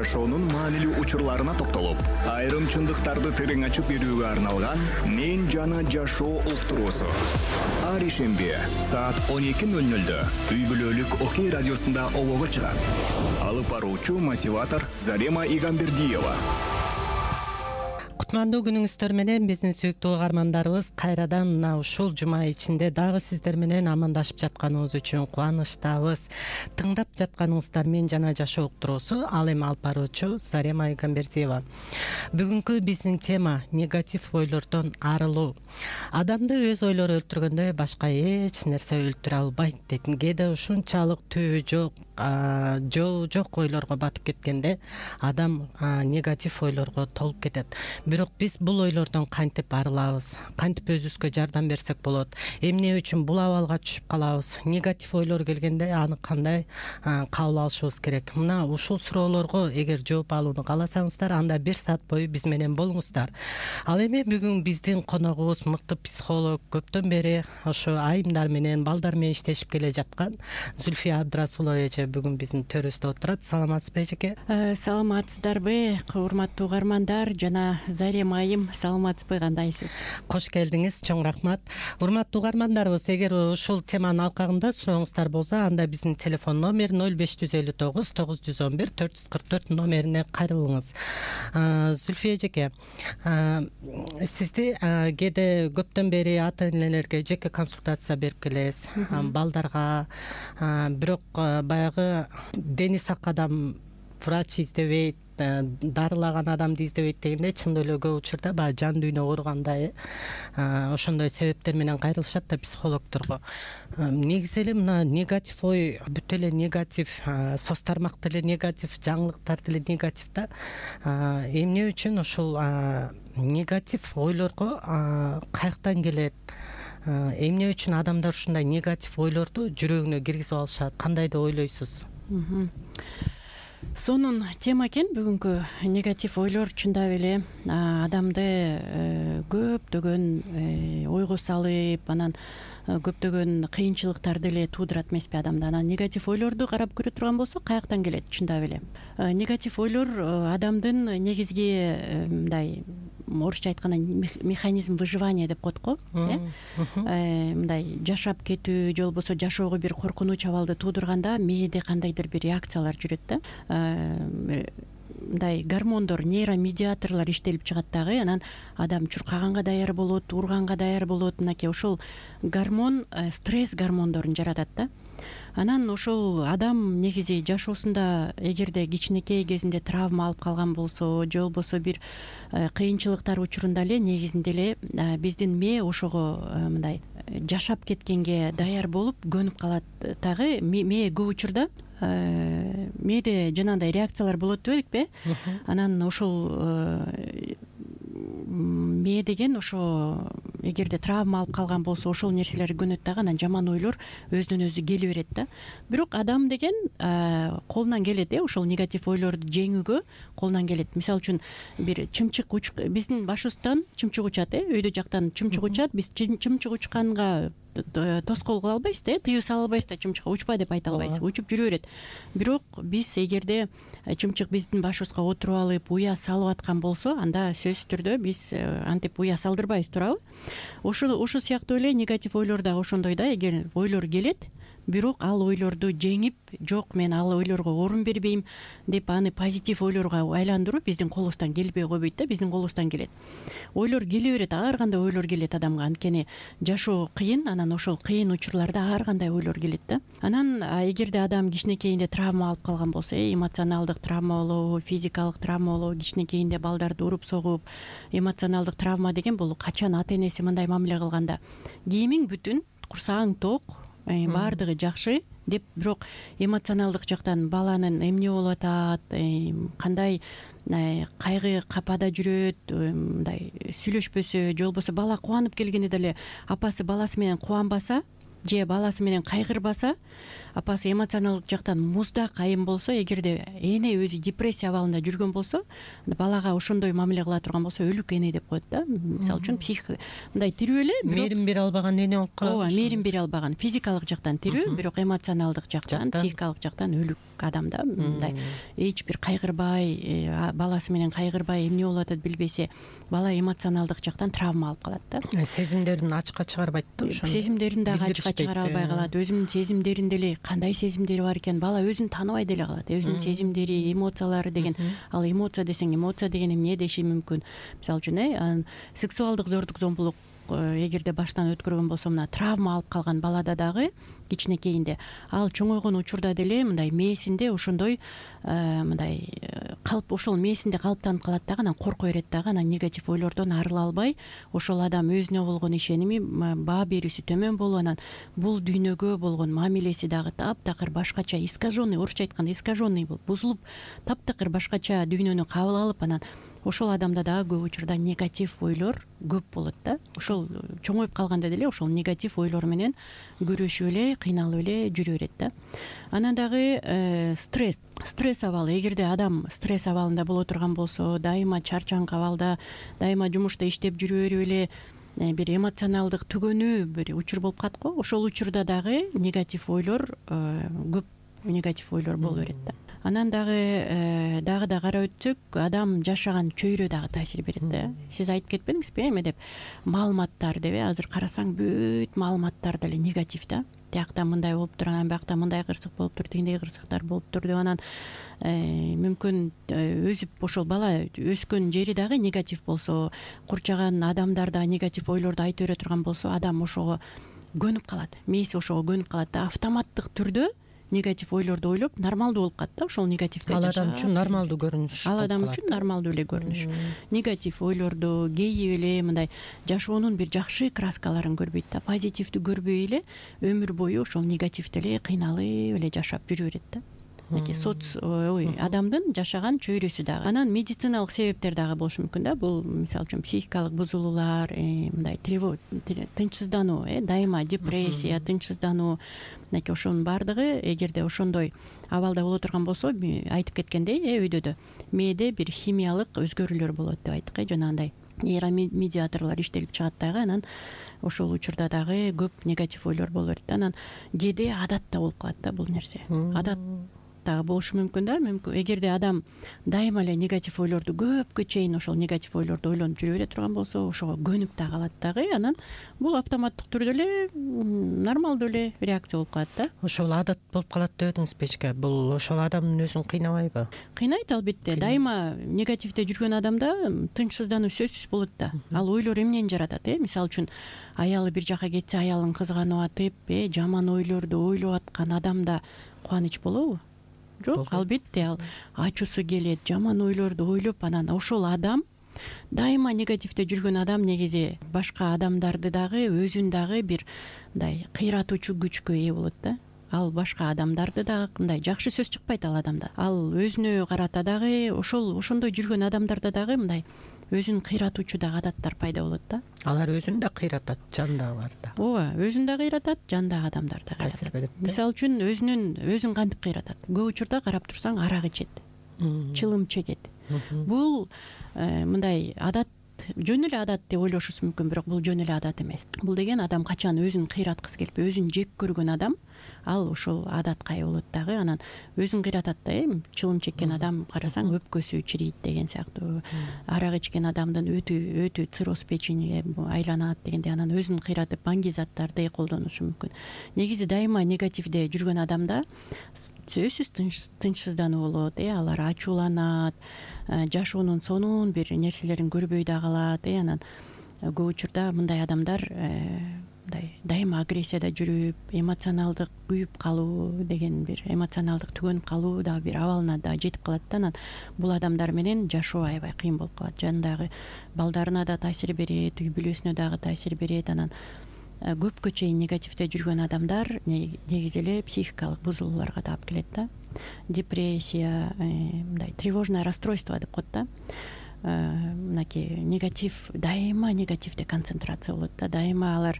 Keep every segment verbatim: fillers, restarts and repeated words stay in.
жашоонун маанилүү учурларына токтолуп, айрым чындыктарды терең ачып берүүгө арналган «Мен жана жашоо» уктуруусу. Ар ишемби саат он эки ноль нольдө үй бүлөлүк Окей радиосунда олого чыгат. Алып баруучу мотиватор Зарема Игамбердиева. Кутмандуу күнүңүздөр менен биздин сүйүктүү угармандарыбыз кайрадан мына ушул жума ичинде дагы сиздер менен амандашып жатканыбыз үчүн кубанычтабыз. Тыңдап жатканыңыздар «Мен жана жашоо» уктуруусу. Ал эми алып баруучу Зарема Игамбердиева. Бүгүнкү биздин тема негатив ойлордон арылуу. Адамды өз ойлору өлтүргөндөй башка эч нерсе өлтүрө албайт дейтин. Кээде ушунчалык түбү жок, жоо жок ойлорго батып кеткенде адам негатив ойлорго толуп кетет. Бирок биз бул ойлордон кантип арылабыз? Кантип өзүбүзгө жардам берсек болот? Эмне үчүн бул абалга түшүп калабыз? Негатив ойлор келгенде аны кандай кабыл алышыбыз керек? Мына ушул суроолорго эгер жооп алууну кааласаңыздар, анда бир саат бою биз менен болуңуздар. Ал эми бүгүн биздин коногубуз мыкты психолог, көптөн бери ошо айымдар менен, балдар менен иштешип келе жаткан Зүлфия Абдрасулова эже бүгүн биздин төрүбүздө отурат. Саламатсызбы эжеке? Саламатсыздарбы, урматтуу угармандар жана Зарема айым, саламатсызбы, кандайсыз? Кош келдиңиз, чоң рахмат. Урматтуу угармандарыбыз, эгер ушул теманын алкагында сурооңуздар болсо, анда биздин телефон номер ноль беш жүз элүү тогуз тогуз жүз он бир төрт жүз кырк төрт номерине кайрылыңыз. Зүлфия эжеке, сизди кээде көптөн бери ата энелерге жеке консультация берип келесиз, балдарга. Бирок баягы дени сак адам врач издебейт, дарылаган адамды издебейт дегенде, чындап эле көп учурда баягы жан дүйнө ооругандай ошондой себептер менен кайрылышат да психологдорго. Негизи эле мына негатив ой, бүт эле негатив, соц тармак деле негатив, жаңылыктар деле негатив да. Эмне үчүн ушул негатив ойлорго каяктан келет? Эмне үчүн адамдар ушундай негатив ойлорду жүрөгүнө киргизип алышат? Кандай деп ойлойсуз? Сонун тема экен бүгүнкү негатив ойлор. Чындап эле адамды көптөгөн ойго салып, анан көптөгөн кыйынчылыктарды эле туудурат эмеспи адамда. Анан негатив ойлорду карап көрө турган болсок, каяктан келет? Чындап эле негатив ойлор адамдын негизги мындай, орусча айтканда механизм выживания деп коет го, э мындай жашап кетүү же болбосо жашоого бир коркунуч абалды туудурганда мээде кандайдыр бир реакциялар жүрөт да. Мындай гормондор, нейромедиаторлор иштелип чыгат дагы, анан адам чуркаганга даяр болот, урганга даяр болот. Мынакей ошол гормон стресс гормондорун жаратат да. Анан ошол адам негизи жашоосунда эгерде кичинекей кезинде травма алып калган болсо, же болбосо бир кыйынчылыктар учурунда эле негизинде эле биздин мээ ошого мындай жашап кеткенге даяр болуп көнүп калат дагы. Мээ көп учурда мээде жанагындай реакциялар болот дебедикпи? Анан ошол мээ деген ошо эгерде травма алып калган болсо ошол нерселер көнөт дагы, анан жаман ойлор өзүнөн өзү келе берет да. Бирок адам деген колунан келет, э ошол негатив ойлорду жеңүүгө колунан келет. Мисалы үчүн бир чымчык уч, биздин башыбыздан чымчык учат, э өйдө жактан чымчык учат, биз чымчык учканга тоскоол кыла албайбыз да, тыюу сала албайбыз да, чымчыкка учпа деп айта албайбыз, учуп жүрө берет. Бирок биз эгерде чымчык биздин башыбызга отуруп алып, уя салып аткан болсо, анда сөзсүз түрдө биз антип уя салдырбайбыз, туурабы? Ошо ошо сыяктуу эле негатив ойлор дагы ошондой да. Эгер ойлор келет, бирок ал ойлорду жеңип, жок мен ал ойлорго орун бербейм деп аны позитив ойлорго айландыруу биздин колубуздан келбей койбойт да, биздин колубуздан келет. Ойлор келе берет, ар кандай ойлор келет адамга, анткени жашоо кыйын, анан ошол кыйын учурларда ар кандай ойлор келет да. Анан эгерде адам кичинекейинде травма алып калган болсо, эмоционалдык травма болобу, физикалык травма болобу, кичинекейинде балдарды уруп согуп, эмоционалдык травма деген бул качан ата энеси мындай мамиле кылганда кийимиң бүтүн, курсагың ток, баардыгы жакшы деп, бирок эмоционалдык жактан баланын эмне болуп атат, кандай кайгы капада жүрөт, мындай сүйлөшпөсө, же болбосо бала кубанып келгенде деле апасы баласы менен кубанбаса, же баласы менен кайгырбаса, апасы эмоционалдык жактан муздак айым болсо, эгерде эне өзү депрессия абалында жүргөн болсо, балага ошондой мамиле кыла турган болсо өлүк эне деп коет да. Мисалы үчүн психика мындай тирүү эле, мээрим бере албаган эне болуп калат. Ооба, мээрим бере албаган, физикалык жактан тирүү, бирок эмоционалдык жактан, психикалык жактан өлүк адам да. Мындай эч бир кайгырбай, баласы менен кайгырбай, эмне болуп атат билбесе, бала эмоционалдык жактан травма алып калат да. Сезимдерин ачыкка чыгарбайт да, ошону. Сезимдерин дагы ачыкка чыгара албай калат. Өзүнүн сезимдеринде эле кандай сезимдери бар экен, бала өзүн тааныбай деле калат. Өзүнүн сезимдери, эмоциялары деген, ал эмоция десең, эмоция деген эмне деши мүмкүн. Мисалы үчүн, э, сексуалдык зордук зомбулук эгерде баштан өткөргөн болсо, мына травма алып калган балада дагы кичинекейинде, ал чоңойгон учурда деле мындай мээсинде ошондой мындай калп, ошол мээсинде калыптанып калат дагы, анан корко берет дагы, анан негатив ойлордон арыла албай, ошол адам өзүнө болгон ишеними, баа берүүсү төмөн болуп, анан бул дүйнөгө болгон мамилеси дагы таптакыр башкача, искаженный, орусча айтканда искаженный болуп, бузулуп, таптакыр башкача дүйнөнү кабыл алып, анан ошол адамда дагы көп учурда негатив ойлор көп болот да. Ошол чоңоюп калганда деле ошол негатив ойлор менен күрөшүп эле, кыйналып эле жүрө берет да. Анан дагы стресс, стресс абалы. Эгерде адам стресс абалында боло турган болсо, дайыма чарчаңкы абалда, дайыма жумушта иштеп жүрө берип эле бир эмоционалдык түгөнүү бир учур болуп калат го. Ошол учурда дагы негатив ойлор көп, негатив ойлор боло берет да. Анан дагы дагы да карап өтсөк, адам жашаган чөйрө дагы таасир берет да. Сиз айтып кетпедиңизби эме деп, маалыматтар деп, азыр карасаң бүт маалыматтар деле негатив да. Тиякта мындай болуп тур, анан биякта мындай кырсык болуп тур, тигиндей кырсыктар болуп тур деп, анан мүмкүн өзүп ошол бала өскөн жери дагы негатив болсо, курчаган адамдар да негатив ойлорду айта бере турган болсо, адам ошого көнүп калат, мээси ошого көнүп калат да. Автоматтык түрдө негатив ойлорду ойлоп нормалдуу болуп калат да. Ошол негативде ал адам үчүн нормалдуу көрүнүш, ал адам үчүн нормалдуу эле көрүнүш. Негатив ойлорду кейип эле мындай жашоонун бир жакшы краскаларын көрбөйт да, позитивди көрбөй эле өмүр бою ошол негативде эле кыйналып эле жашап жүрө берет да. Мынакей соц ой адамдын жашаган чөйрөсү дагы. Анан медициналык себептер дагы болушу мүмкүн да. Бул мисалы үчүн психикалык бузулуулар, мындай тынчсыздануу, дайыма депрессия, тынчсыздануу, мынакей ошонун баардыгы эгерде ошондой абалда боло турган болсо, айтып кеткендей, өйдөдө мээде бир химиялык өзгөрүүлөр болот деп айттык, жанагындай нейромедиаторлор иштелип чыгат дагы, анан ошол учурда дагы көп негатив ойлор боло берет. Анан кээде адат да болуп калат да бул нерсе. Адат дагы болушу мүмкүн да. Мүмкүн эгерде адам дайыма эле негатив ойлорду көпкө чейин ошол негатив ойлорду ойлонуп жүрө бере турган болсо, ошого көнүп да калат дагы, анан бул автоматтык түрдө эле нормалдуу эле реакция болуп калат да. Ошол адат болуп калат дедиңиз печке. Бул ошол адамдын өзүн кыйнабайбы? Кыйнайт албетте. Дайыма негативде жүргөн адамда тынчсыздануу сөзсүз болот да. Ал ойлор эмнени жаратат, э? Мисалы үчүн аялы бир жака кетсе, аялын кызганып атып, э, жаман ойлорду ойлоп аткан адамда кубаныч болобу? Жок, албетте ал ачуусу келет, жаман ойлорду ойлоп, анан ошол адам дайыма негативде жүргөн адам негизи башка адамдарды дагы, өзүн дагы бир мындай кыйратуучу күчкө ээ болот да. Ал башка адамдарды дагы мындай жакшы сөз чыкпайт ал адамда. Ал өзүнө карата дагы, ошол ошондой жүргөн адамдарда дагы мындай өзүн кыйратуучу дагы адаттар пайда болот да. Алар өзүн да кыйратат, жандагыларда. Ооба, өзүн да кыйратат, жандагы адамдар да таасир берет. Мисалы үчүн өзүнүн өзүн кантип кыйратат? Көп учурда карап турсаң, арак ичет, чылым чегет. Бул мындай адат, жөн эле адат деп ойлошусу мүмкүн, бирок бул жөн эле адат эмес. Бул деген адам качан өзүн кыйраткысы келип, өзүн жек көргөн адам, ал ошол адатка ээ болот дагы. Анан өзүн кыйратат да, э, чылым чеккен адам карасаң өпкөсү чирийт деген сыяктуу. Арак ичкен адамдын өтү өтү цирроз печени айланат дегендей, анан өзүн кыйратып банги заттарды колдонушу мүмкүн. Негизи дайыма негативде жүргөн адамда сөзсүз тынчсыздануу болот, э, алар ачууланат, жашоонун сонун бир нерселерин көрбөй да калат, э, анан көп учурда мындай адамдар мындай дайыма агрессияда жүрүп, эмоционалдык күйүп калуу деген бир эмоционалдык түгөнүп калуу дагы бир абалына да жетип калат да. Анан бул адамдар менен жашоо аябай кыйын болуп калат. Жанындагы балдарына да таасир берет, үй бүлөсүнө дагы таасир берет. Анан көпкө чейин негативде жүргөн адамдар негизи эле психикалык бузулууларга да алып келет да. Депрессия, мындай тревожное расстройство деп коет да. мынакей негатив, дайыма негативде концентрация болот да, дайыма алар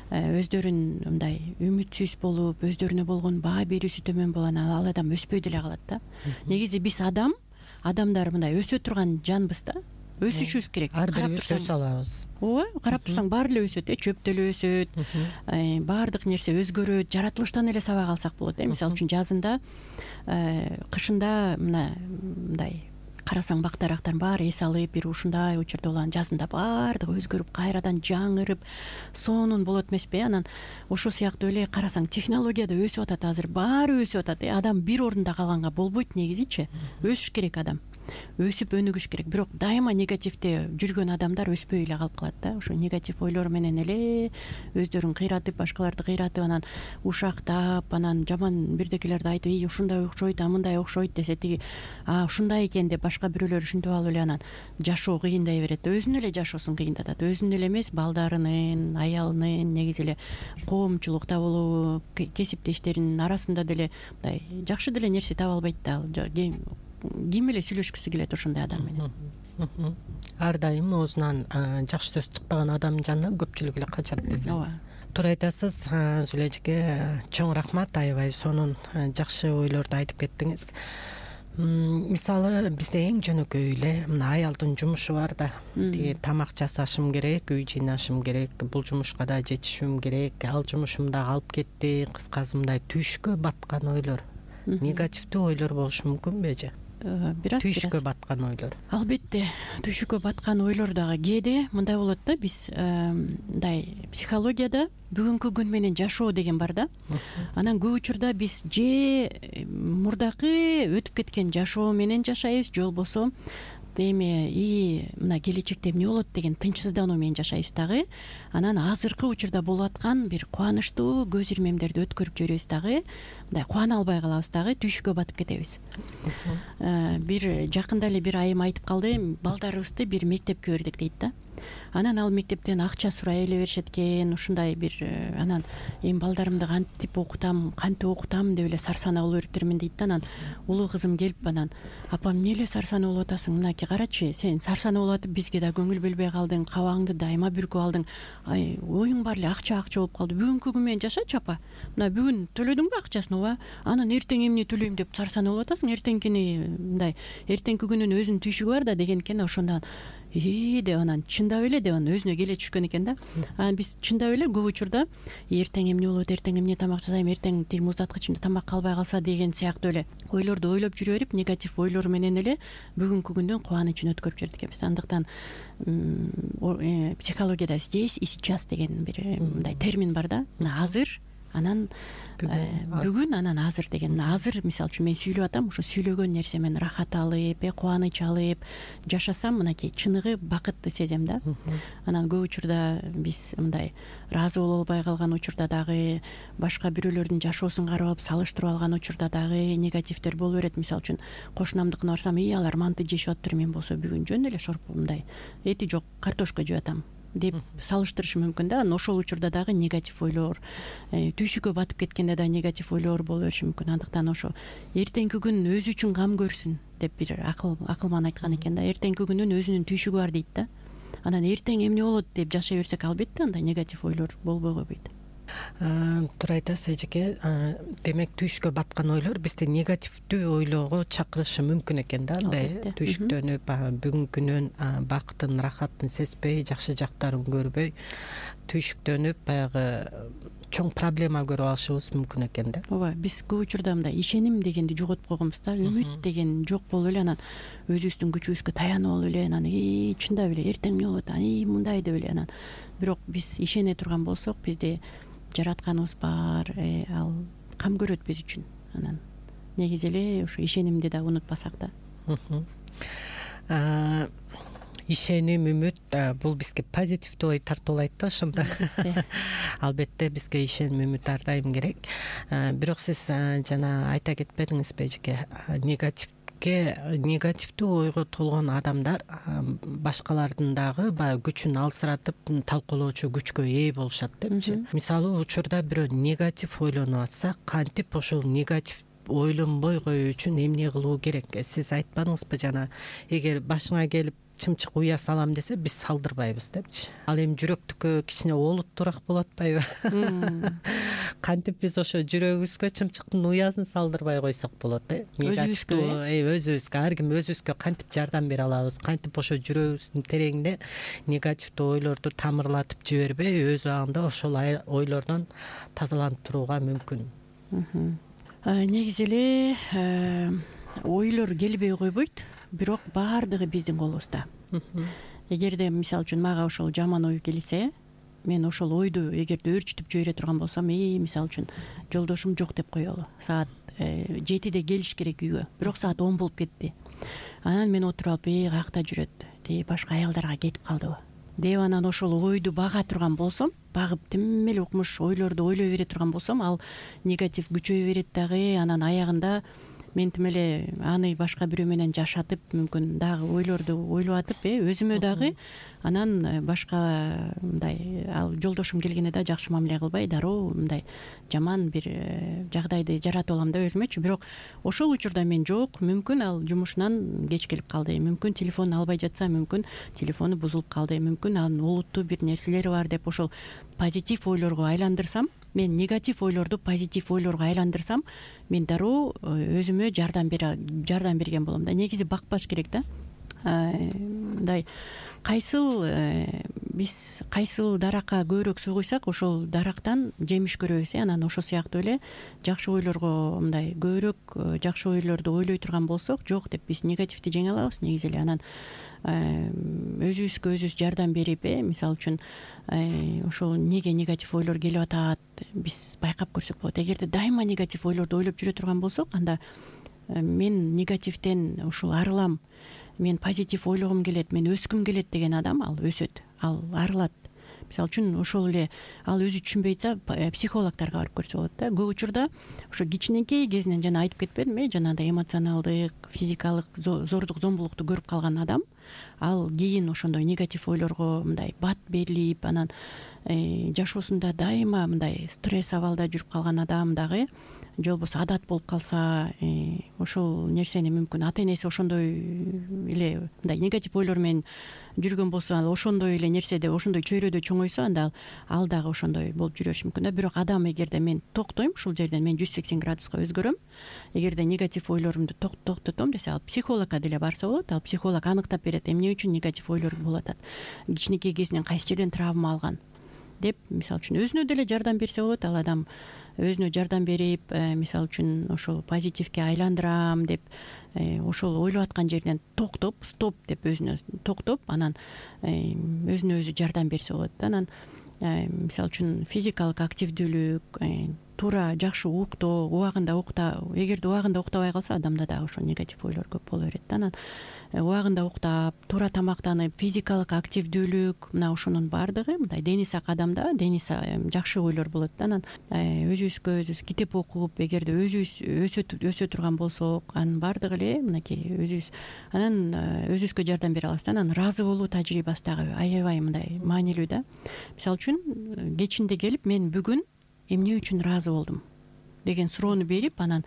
өздөрүн мындай үмүтсүз болуп, өздөрүнө болгон баа берүүсү төмөн болуп, анан ал адам өспөй деле калат да. Негизи биз адам адамдар мындай өсө турган жанбыз да, өсүшүбүз керек. Ар бирибиз өсө алабыз. Ооба, карап турсаң баары эле өсөт, э чөп деле өсөт, баардык нерсе өзгөрөт, жаратылыштан эле сабак алсак болот, э мисалы үчүн жазында, кышында мына мындай карасаң бак дарактардын баары эс алып, бир ушундай учурда болгон, жазында баардыгы өзгөрүп, кайрадан жаңырып, сонун болот эмеспи? Анан ошол сыяктуу эле карасаң технология да өсүп атат, азыр баары өсүп атат. Адам бир орунда калганга болбойт негизичи. Өсүш керек адам. Өсүп өнүгүш керек. Бирок дайыма негативде жүргөн адамдар өспөй эле калып калат да. Ошо негатив ойлор менен эле өздөрүн кыйратып, башкаларды кыйратып, анан ушактап, анан жаман бирдекелерди айтып, "Ий, ушундай окшойт, а мындай окшойт" десе, тиги "А, ушундай экен" деп башка бирөөлөр ушинтип алып эле анан жашоо кыйындай берет да. Өзүнүн эле жашоосун кыйындатат. Өзүнүн эле эмес, балдарынын, аялынын, негизи эле коомчулукта болобу, кесиптештеринин арасында деле мындай жакшы деле нерсе таба албайт да. Ким эле сүйлөшкүсү келет ошондой адам менен. Ар дайым оозунан жакшы сөз чыкпаган адамдын жанына көпчүлүк эле качат десеңиз. Туура айтасыз, Зулия эжеке, чоң рахмат, аябай сонун жакшы ойлорду айтып кеттиңиз. Мисалы бизде эң жөнөкөй эле мына аялдын жумушу бар да, тиги тамак жасашым керек, үй жыйнашым керек, бул жумушка да жетишүүм керек, ал жумушум да калып кетти, кыскасы мындай түшкө баткан ойлор, негативдүү ойлор болушу мүмкүнбү эже? Бираз түшкө баткан ойлор. Албетте, түшкө баткан ойлор дагы кээде мындай болот да, биз мындай психологияда бүгүнкү күн менен жашоо деген бар да. Анан көп учурда биз же мурдакы өтүп кеткен жашоо менен жашайбыз, же болбосо эми и мына келечекте эмне болот деген тынчсыздануу менен жашайбыз дагы. Анан азыркы учурда болуп аткан бир кубанычтуу көз ирмемдерди өткөрүп жиберебиз дагы, мындай кубана албай калабыз дагы, түшкө батып кетебиз. Бир жакында эле бир айым айтып калды, балдарыбызды бир мектепке бердик дейт да. Анан ал мектептен акча сурай эле беришет экен, ушундай бир анан эми балдарымды кантип окутам, кантип окутам деп эле сарсанаа болуп бериптермин дейт да. Анан улуу кызым келип анан "Апам, эмне эле сарсанаа болуп атасың? Мынакей карачы, сен сарсанаа болуп атып бизге да көңүл бөлбөй калдың, кабагыңды дайыма бүркүп алдың. Оюң баары эле акча акча болуп калды. Бүгүнкү күн менен жашачы, апа. Мына бүгүн төлөдүңбү акчасын, ооба. Анан эртең эмне төлөйм деп сарсанаа болуп атасың? Эртеңкини мындай, эртеңки күнүн өзүнүн түйшүгү бар да" деген экен. Ошондон и деп анан чындап эле деп анан өзүнө келе түшкөн экен да. Анан биз чындап эле көп учурда эртең эмне болот, эртең эмне тамак жасайм, эртең тиги муздаткычымда тамак калбай калса деген сыяктуу эле ойлорду ойлоп жүрө берип, негатив ойлор менен эле бүгүнкү күндүн кубанычын өткөрүп жибердик экенбиз. Андыктан психологияда здесь и сейчас деген бир мындай термин бар да. Азыр, анан бүгүн, анан азыр деген. Азыр мисалы үчүн мен сүйлөп атам, ошо сүйлөгөн нерсемен рахат алып, кубаныч алып жашасам, мынакей чыныгы бакытты сезем да. Анан көп учурда биз мындай ыраазы боло албай калган учурда дагы, башка бирөөлөрдүн жашоосун карап салыштырып алган учурда дагы негативдер боло берет. Мисалы үчүн кошунамдыкына барсам, "И, алар манты жешип атыптыр, мен болсо бүгүн жөн эле шорпу мындай эти жок картошка жеп атам" деп салыштырышы мүмкүн да. Анан ошол учурда дагы негатив ойлор, түйшүккө батып кеткенде да негатив ойлор боло бериши мүмкүн. Андыктан ошо эртеңки күн өзү үчүн кам көрсүн деп бир акыл акылман айткан экен да. Эртеңки күнүн өзүнүн түйшүгү бар дейт да. Анан эртең эмне болот деп жашай берсек, албетте андай негатив ойлор болбой койбойт. Туура айтасыз эжеке. Демек түшкө баткан ойлор бизди негативдүү ойлоого чакырышы мүмкүн экен да. Андай түшүктөнүп, бүгүнкүнүн бакытын, рахатын сезбей, жакшы жактарын көрбөй, түшүктөнүп баягы чоң проблема көрүп алышыбыз мүмкүн экен да. Ооба, биз көп учурда мындай ишеним дегенди жоготуп койгонбуз да. Үмүт деген жок болуп эле, анан өзүбүздүн күчүбүзгө таянып алып эле, анан и чындап эле эртең эмне болот, и мындай деп эле. Анан бирок биз ишене турган болсок, бизде жаратканыбыз бар, ал кам көрөт биз үчүн. Анан негизи эле ошо ишенимди да унутпасак да. Ишеним, үмүт бул бизге позитивдүү ой тартуулайт да ошондо. Албетте бизге ишеним, үмүт ар дайым керек. Бирок сиз жана айта кетпедиңизби эжеке, негатив негативдүү ойго толгон адамдар башкалардын дагы баягы күчүн алсыратып талкуулоочу күчкө ээ болушат депчи. Мисалы учурда бирөө негатив ойлонуп атса, кантип ошол негатив ойлонбой коюу үчүн эмне кылуу керек? Сиз айтпадыңызбы жана, эгер башыңа келип чымчык уя салам десе биз салдырбайбыз депчи. Ал эми жүрөктүккө кичине олуттуураак болуп атпайбы? Кантип биз ошо жүрөгүбүзгө чымчыктын уясын салдырбай койсок болот э. Өзүбүзгө өзүбүзгө ар ким өзүбүзгө кантип жардам бере алабыз, кантип ошо жүрөгүбүздүн тереңине негативдүү ойлорду тамырлатып жибербей өз убагында ошол ойлордон тазаланып турууга мүмкүн. Негизи эле ойлор келбей койбойт, бирок баардыгы биздин колубузда. Эгерде мисалы үчүн мага ошол жаман ой келсе, мен ошол ойду эгерде өөрчүтүп жибере турган болсом, э мисалы үчүн жолдошум жок деп коелу, саат жетиде келиш керек үйгө, бирок саат он болуп кетти. Анан мен отуруп алып, э каякта жүрөт, тиги башка аялдарга кетип калдыбы деп анан ошол ойду бага турган болсом, багып тим эле укмуш ойлорду ойлой бере турган болсом, ал негатив күчөйө берет дагы. Анан аягында мен тим эле аны башка бирөө менен жашатып, мүмкүн дагы ойлорду ойлоп атып, э өзүмө дагы анан башка мындай ал жолдошум келгенде да жакшы мамиле кылбай, дароо мындай жаман бир жагдайды жаратып алам да өзүмөчү. Бирок ошол учурда мен жок, мүмкүн ал жумушунан кеч келип калды, мүмкүн телефонун албай жатса, мүмкүн телефону бузулуп калды, мүмкүн анын олуттуу бир нерселери бар деп ошол позитив ойлорго айландырсам, мен негатив ойлорду позитив ойлорго айландырсам, мен дароо өзүмө жардам бере жардам берген болом да. Негизи бакпаш керек да. Мындай кайсыл биз кайсыл даракка көбүрөөк суу куйсак, ошол дарактан жемиш көрөбүз. Анан ошол сыяктуу эле жакшы ойлорго мындай көбүрөөк жакшы ойлорду ойлой турган болсок, жок деп биз негативди жеңе алабыз негизи эле. Анан өзүбүзгө өзүбүз жардам берип, э мисалы үчүн ошол неге негатив ойлор келип атат, биз байкап көрсөк болот. Эгерде дайыма негатив ойлорду ойлоп жүрө турган болсок, анда мен негативден ушул арылам, мен позитив ойлогум келет, мен өскүм келет деген адам ал өсөт, ал арылат. Мисалы үчүн ошол эле ал өзү түшүнбөй атса, психологдорго барып көрсө болот да. Көп учурда ошо кичинекей кезинен жана айтып кетпедимби, э жанагындай эмоционалдык, физикалык зордук, зомбулукту көрүп калган адам, ал кийин ошондой негатив ойлорго мындай бат берилип, анан жашоосунда дайыма мындай стресс абалда жүрүп калган адам дагы, же болбосо адат болуп калса, ошол нерсени мүмкүн ата энеси ошондой эле мындай негатив ойлор менен жүргөн болсо, ошондой эле нерседе, ошондой чөйрөдө чоңойсо, анда ал дагы ошондой болуп жүрө бериши мүмкүн да. Бирок адам эгерде мен токтойм, ушул жерден мен жүз сексен градуска өзгөрөм, эгерде негатив ойлорумду токтотом десе, ал психологко деле барса болот. Ал психолог аныктап берет, эмне үчүн негатив ойлор болуп атат, кичинекей кезинен кайсы жерден травма алган деп, мисалы үчүн өзүнө деле жардам берсе болот. Ал адам өзүнө жардам берип, мисалы үчүн ошол позитивге айландырам деп, ошол ойлоп аткан жерден токтоп, стоп деп өзүнө токтоп, анан өзүнө өзү жардам берсе болот. Анан мисалы үчүн физикалык активдүүлүк, туура жакшы уктоо, убагында укта, эгерде убагында уктабай калса, адамда дагы ошол негатив ойлор көп боло берет. Анан убагында уктап, туура тамактанып, физикалык активдүүлүк, мына ошонун баардыгы мындай дени сак адамда дени жакшы ойлор болот. Анан өзүбүзгө өзүбүз китеп окуп, эгерде өзүбүз өсө турган болсок, анын баардыгы эле мынакей өзүбүз анан өзүбүзгө жардам бере алабыз. Анан ыраазы болуу тажрыйбасы дагы аябай мындай маанилүү да. Мисалы үчүн кечинде келип, мен бүгүн эмне үчүн ыраазы болдум деген суроону берип, анан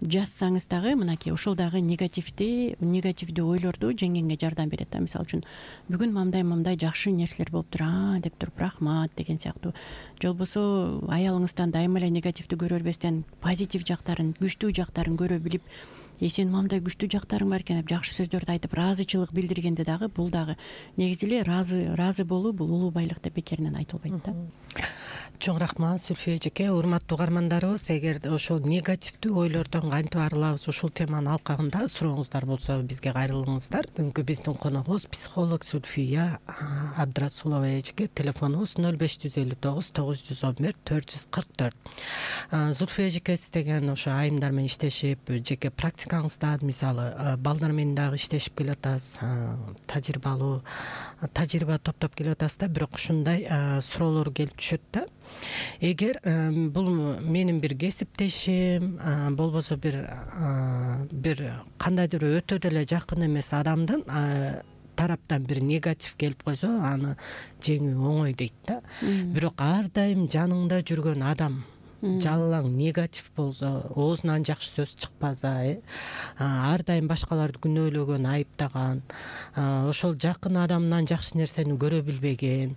жазсаңыз дагы мынакей ошол дагы негативди негативдүү ойлорду жеңгенге жардам берет да. Мисалы үчүн бүгүн мындай мындай жакшы нерселер болуптур, а деп туруп рахмат деген сыяктуу. Же болбосо аялыңыздан дайыма эле негативди көрө бербестен, позитив жактарын, күчтүү жактарын көрө билип, э сенин мындай күчтүү жактарың бар экен деп жакшы сөздөрдү айтып, ыраазычылык билдиргенде дагы бул дагы негизи эле ыраазы ыраазы болуу бул улуу байлык деп бекеринен айтылбайт да. Чоң рахмат Зүлфия эжеке. Урматтуу угармандарыбыз, эгер ошол негативдүү ойлордон кантип арылабыз, ушул теманын алкагында сурооңуздар болсо бизге кайрылыңыздар. Бүгүнкү биздин коногубуз психолог Зүлфия Абдрасулова эжеке. Телефонубуз нөл беш жүз элүү тогуз тогуз жүз он бир төрт жүз кырк төрт. Зүлфия эжеке, сиз деген ошо айымдар менен иштешип, жеке практикаңызда мисалы балдар менен дагы иштешип келатасыз, тажрыйбалуу тажрыйба топтоп келатасыз да, бирок ушундай суроолор келип түшөт да. Эгер бул менин бир кесиптешим, болбосо бир бир кандайдыр өтө деле жакын эмес адамдын тараптан бир негатив келип койсо, аны жеңүү оңой дейт да. Бирок ар дайым жаныңда жүргөн адам жалаң негатив болсо, оозунан жакшы сөз чыкпаса, э ар дайым башкаларды күнөөлөгөн, айыптаган, ошол жакын адамынан жакшы нерсени көрө билбеген,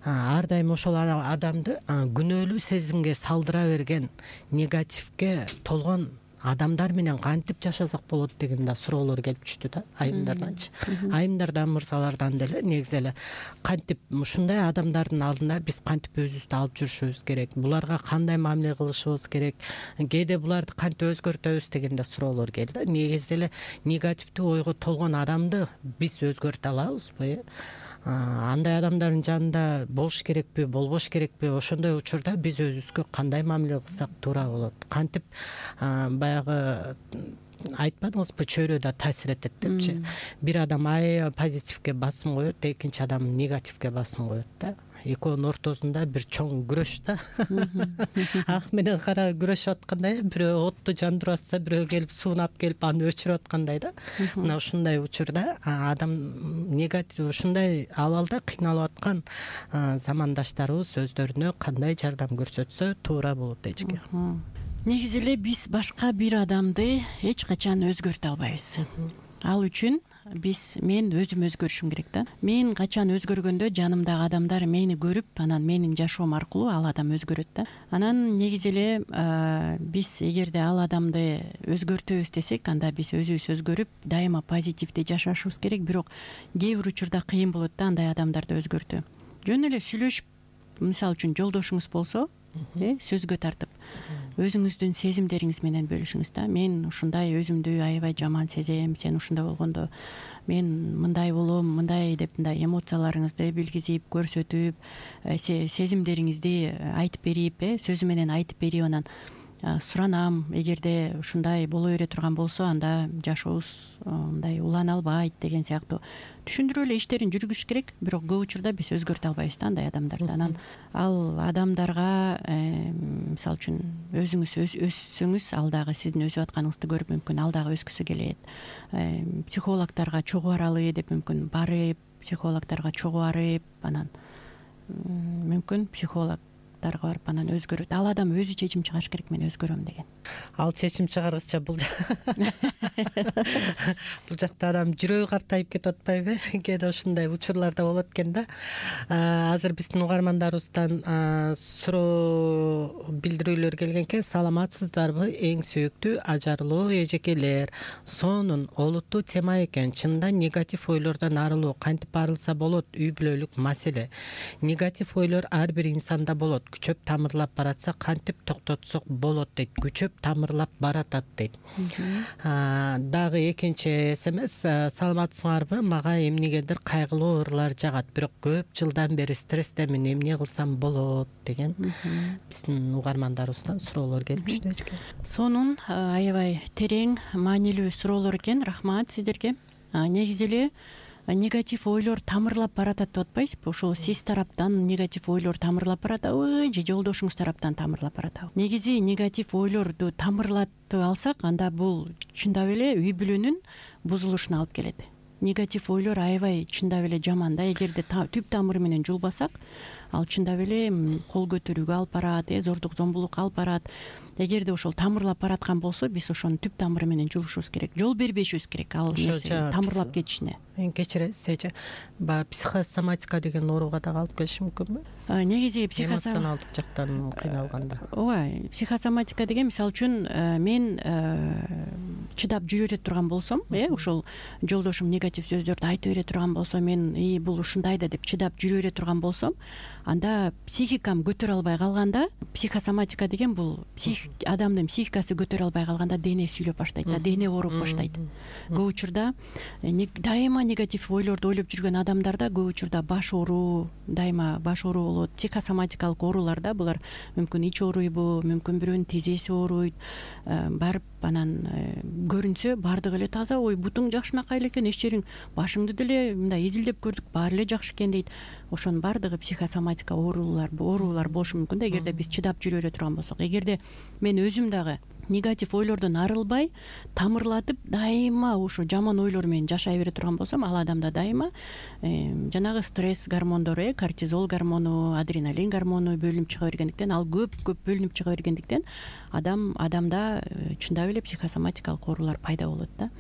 ар дайым ошол адамды күнөөлүү сезимге салдыра берген, негативге толгон адамдар менен кантип жашасак болот деген да суроолор келип түштү да айымдарданчы. Айымдардан, мырзалардан деле негизи эле кантип ушундай адамдардын алдында биз кантип өзүбүздү алып жүрүшүбүз керек, буларга кандай мамиле кылышыбыз керек, кээде буларды кантип өзгөртөбүз деген да суроолор келди. Негизи эле негативдүү ойго толгон адамды биз өзгөртө алабызбы? Андай адамдардын жанында болуш керекпи, болбош керекпи? Ошондой учурда биз өзүбүзгө кандай мамиле кылсак туура болот? Кантип баягы айтпадыңызбы, чөйрө да таасир этет депчи. Бир адам аябай позитивге басым коет, экинчи адам негативге басым коет да. Экөөнүн ортосунда бир чоң күрөш да. Ак менен кара күрөшүп аткандай, бирөө отту жандырып атса, бирөө келип суунап келип аны өчүрүп аткандай да. Мына ушундай учурда адам негатив ушундай абалда кыйналып аткан замандаштарыбыз өздөрүнө кандай жардам көрсөтсө туура болот эчке. Негизи эле биз башка бир адамды эч качан өзгөртө албайбыз. Ал үчүн биз мен өзүм өзгөрүшүм керек да. Мен качан өзгөргөндө жанымдагы адамдар мени көрүп, анан менин жашоом аркылуу ал адам өзгөрөт да. Анан негизи эле биз эгерде ал адамды өзгөртөбүз десек, анда биз өзүбүз өзгөрүп, дайыма позитивдүү жашашыбыз керек. Бирок кээ бир учурда кыйын болот да андай адамдарды өзгөртүү. Жөн эле сүйлөшүп, мисалы үчүн жолдошуңуз болсо, э сөзгө тартып, өзүңүздүн сезимдериңиз менен бөлүшүңүз да. Мен ушундай өзүмдү аябай жаман сезем, сен ушундай болгондо мен мындай болом, мындай деп мындай эмоцияларыңызды билгизип, көрсөтүп, сезимдериңизди айтып берип, э сөзү менен айтып берип, анан суранам, эгерде ушундай боло бере турган болсо, анда жашообуз мындай улана албайт деген сыяктуу түшүндүрүп эле иштерин жүргүзүш керек. Бирок көп учурда биз өзгөртө албайбыз да андай адамдарды. Анан ал адамдарга мисалы үчүн өзүңүз өссөңүз, ал дагы сиздин өсүп атканыңызды көрүп мүмкүн ал дагы өскүсү келет. Психологдорго чогуу баралы деп мүмкүн барып, психологдорго чогуу барып, анан мүмкүн психолог барып анан өзгөрөт. Ал адам өзү чечим чыгарыш керек, мен өзгөрөм деген. Ал чечим чыгаргыча бул бул жакта адам жүрөгү картайып кетип атпайбы? Кээде ушундай учурларда болот экен да. Азыр биздин угармандарыбыздан суроо билдирүүлөр келген экен. Саламатсыздарбы, эң сүйүктүү ажарлуу эжекелер? Сонун олуттуу тема экен. Чында негатив ойлордон арылуу кантип арылса болот? Үй бүлөлүк маселе. Негатив ойлор ар бир инсанда болот. Күчөп тамырлап баратса кантип токтотсок болот дейт. Күчөп тамырлап баратат дейт. Дагы экинчи смс: саламатсыңарбы, мага эмнегедир кайгылуу ырлар жагат, бирок көп жылдан бери стресстемин, эмне кылсам болот деген биздин угармандарыбыздан суроолор келип түштү эчке. Сонун аябай терең, маанилүү суроолор экен. Рахмат сиздерге. Негизи эле негатив ойлор тамырлап баратат деп атпайсызбы? Ошол сиз тараптан негатив ойлор тамырлап баратабы же жолдошуңуз тараптан тамырлап баратабы? Негизи негатив ойлорду тамырлатып алсак, анда бул чындап эле үй бүлөнүн бузулушуна алып келет. Негатив ойлор аябай чындап эле жаман да. Эгерде түп тамыры менен жулбасак, ал чындап эле кол көтөрүүгө алып барат, э зордук зомбулукка алып барат. Эгерде ошол тамырлап бараткан болсо, биз ошонун түп тамыры менен жулушубуз керек. Жол бербешибиз керек ал нерсе тамырлап кетишине. Кечиресиз эже. Баягы психосоматика деген ооруга дагы алып келиши мүмкүнбү? Негизи эмоционалдык жактан кыйналганда. Ооба, психосоматика деген мисалы үчүн мен чыдап жүрө бере турган болсом, э ошол жолдошум негатив сөздөрдү айтып бере турган болсо, мен и бул ушундай да деп чыдап жүрө бере турган болсом, анда психикам көтөрө албай калганда, психосоматика деген бул адамдын психикасы көтөрө албай калганда дене сүйлөп баштайт да, дене ооруп баштайт. Көп учурда дайыма негатив ойлорду ойлоп жүргөн адамдарда көп учурда баш ооруу, дайыма баш ооруу болот. Психосоматикалык ооруларда булар мүмкүн ич ооруйбу, мүмкүн бирөөнүн тизеси ооруйт, барып анан көрүнсө баардыгы эле таза, ой бутуң жакшынакай эле экен, эч жериң, башыңды деле мындай изилдеп көрдүк, баары эле жакшы экен дейт. Ошонун баардыгы психосоматика оорулар оорулар болушу мүмкүн да, эгерде биз чыдап жүрө бере турган болсок. Эгерде мен өзүм дагы негатив ойлордон арылбай тамырлатып дайыма ушу жаман ойлор менен жашай бере турган болсом, ал адамда дайыма жанагы стресс гормондору, э кортизол гормону, адреналин гормону бөлүнүп чыга бергендиктен, ал көп көп бөлүнүп чыга бергендиктен адам адамда чындап эле психосоматикалык оорулар пайда болот да.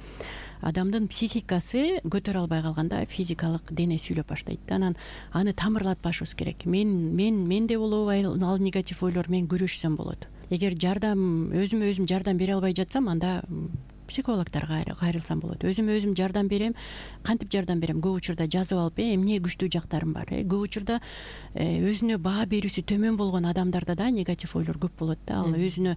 Адамдын психикасы көтөрө албай калганда физикалык дене сүйлөп баштайт да. Анан аны тамырлатпашыбыз керек. Мен мен менде болобу ал негатив ойлор менен күрөшсөм болот. Эгер жардам өзүмө өзүм жардам бере албай жатсам, анда психологторго кайрылсам болот. Өзүмө өзүм жардам берем. Кантип жардам берем? Көп учурда жазып алып, эмне күчтүү жактарым бар. Көп учурда өзүнө баа берүүсү төмөн болгон адамдарда да негатив ойлор көп болот да. Ал өзүнө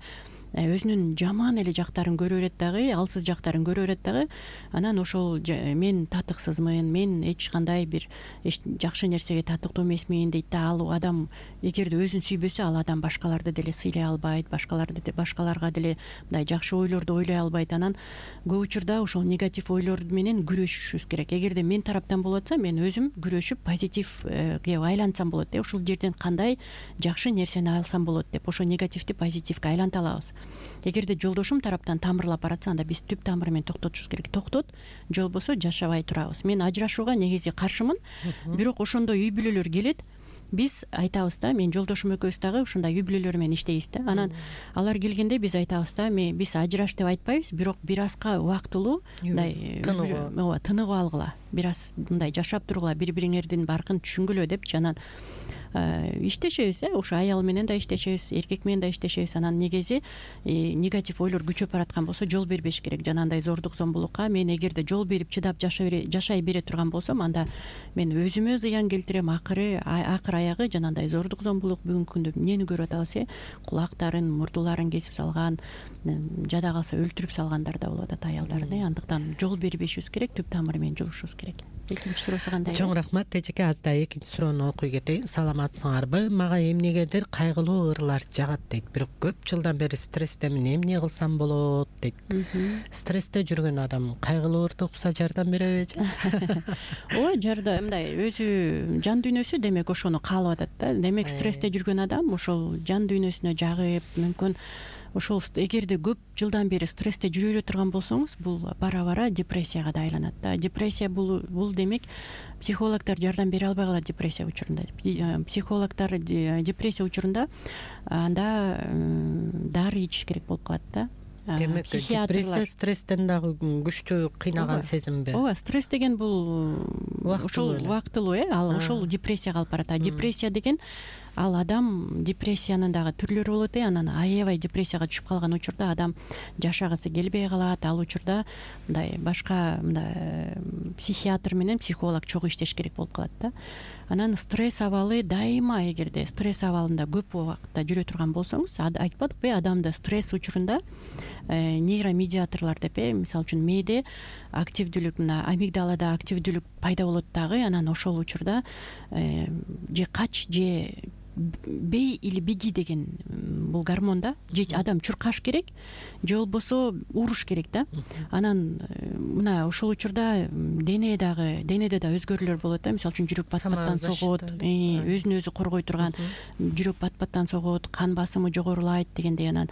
өзүнүн жаман эле жактарын көрө берет дагы, алсыз жактарын көрө берет дагы. Анан ошол мен татыксызмын, мен эч кандай бир жакшы нерсеге татыктуу эмесмин дейт да. Ал адам эгерде өзүн сүйбөсө, ал адам башкаларды деле сыйлай албайт, башкаларды башкаларга деле мындай жакшы ойлорду ойлой албайт. Анан көп учурда ошол негатив ойлор менен күрөшүшүбүз керек. Эгерде мен тараптан болуп атса, мен өзүм күрөшүп позитивге айлантсам болот деп, ушул жерден кандай жакшы нерсени алсам болот деп, ошо негативди позитивге айланта алабыз. Эгерде жолдошум тараптан тамырлап баратса, анда биз түп тамыры менен токтотушубуз керек. Токтот, же болбосо жашабай турабыз. Мен ажырашууга негизи каршымын, бирок ошондой үй бүлөлөр келет. Биз айтабыз да, мен жолдошум экөөбүз дагы ушундай үй бүлөлөр менен иштейбиз да. Анан алар келгенде биз айтабыз да, биз ажыраш деп айтпайбыз, бирок бир азга убактылуу мындай ооба тыныгып алгыла, бир аз мындай жашап тургула, бири бириңердин баркын түшүнгүлө депчи. Анан иштешебиз, э ушу аял менен да иштешебиз, эркек менен да иштешебиз. Анан негизи негатив ойлор күчөп бараткан болсо жол бербеш керек. Жанагындай зордук зомбулукка мен эгерде жол берип чыдап жашай бере турган болсом, анда мен өзүмө зыян келтирем. Акыры акыр аягы жанагындай зордук зомбулук бүгүнкү күндө эмнени көрүп атабыз, э кулактарын, мурдуларын кесип салган, жада калса өлтүрүп салгандар да болуп атат аялдарын. э Андыктан жол бербешибиз керек, түп тамыры менен жулушубуз керек. Экинчи суроосу кандай? Чоң рахмат. Эжеке, аздай экинчи суроону окуй кетейин. Саламатсыңарбы? Мага эмнегедир кайгылуу ырлар жагат дейт. Бирок көп жылдан бери стресстемин, эмне кылсам болот дейт. Стрессте жүргөн адам кайгылуу ырды укса жардам береби эже? Ооба, жардам мындай өзү жан дүйнөсү демек ошону каалап атат да. Демек стрессте жүргөн адам ошол жан дүйнөсүнө жагып, мүмкүн ошол эгерде көп жылдан бери стрессте жүрө бере турган болсоңуз, бул бара-бара депрессияга да айланат да. Депрессия бул бул демек психологдор жардам бере албай калат депрессия учурунда. Психологдор депрессия учурунда анда дары ичиш керек болуп калат да. Демек депрессия стресстен дагы күчтүү кыйнаган сезимби? Ооба, стресс деген бул ошол убактылуу, э ал ошол депрессияга алып барат. Депрессия деген ал адам депрессиянын дагы түрлөрү болот, э анан аябай депрессияга түшүп калган учурда адам жашагысы келбей калат. Ал учурда мындай башка мындай психиатр менен психолог чогуу иштеш керек болуп калат да. Анан стресс абалы дайыма, эгерде стресс абалында көп убакытта жүрө турган болсоңуз, айтпадыкпы, адамда стресс учурунда нейромедиаторлор деп, э мисалы үчүн мээде активдүүлүк, мына амигдалада активдүүлүк пайда болот дагы. Анан ошол учурда же кач же бей или беги деген бул гормон да, же адам чуркаш керек, же болбосо уруш керек да. Анан мына ошол учурда дене дагы денеде да өзгөрүүлөр болот да. Мисалы үчүн жүрөк бат-баттан согот, өзүн өзү коргой турган жүрөк бат-баттан согот, кан басымы жогорулайт дегендей. Анан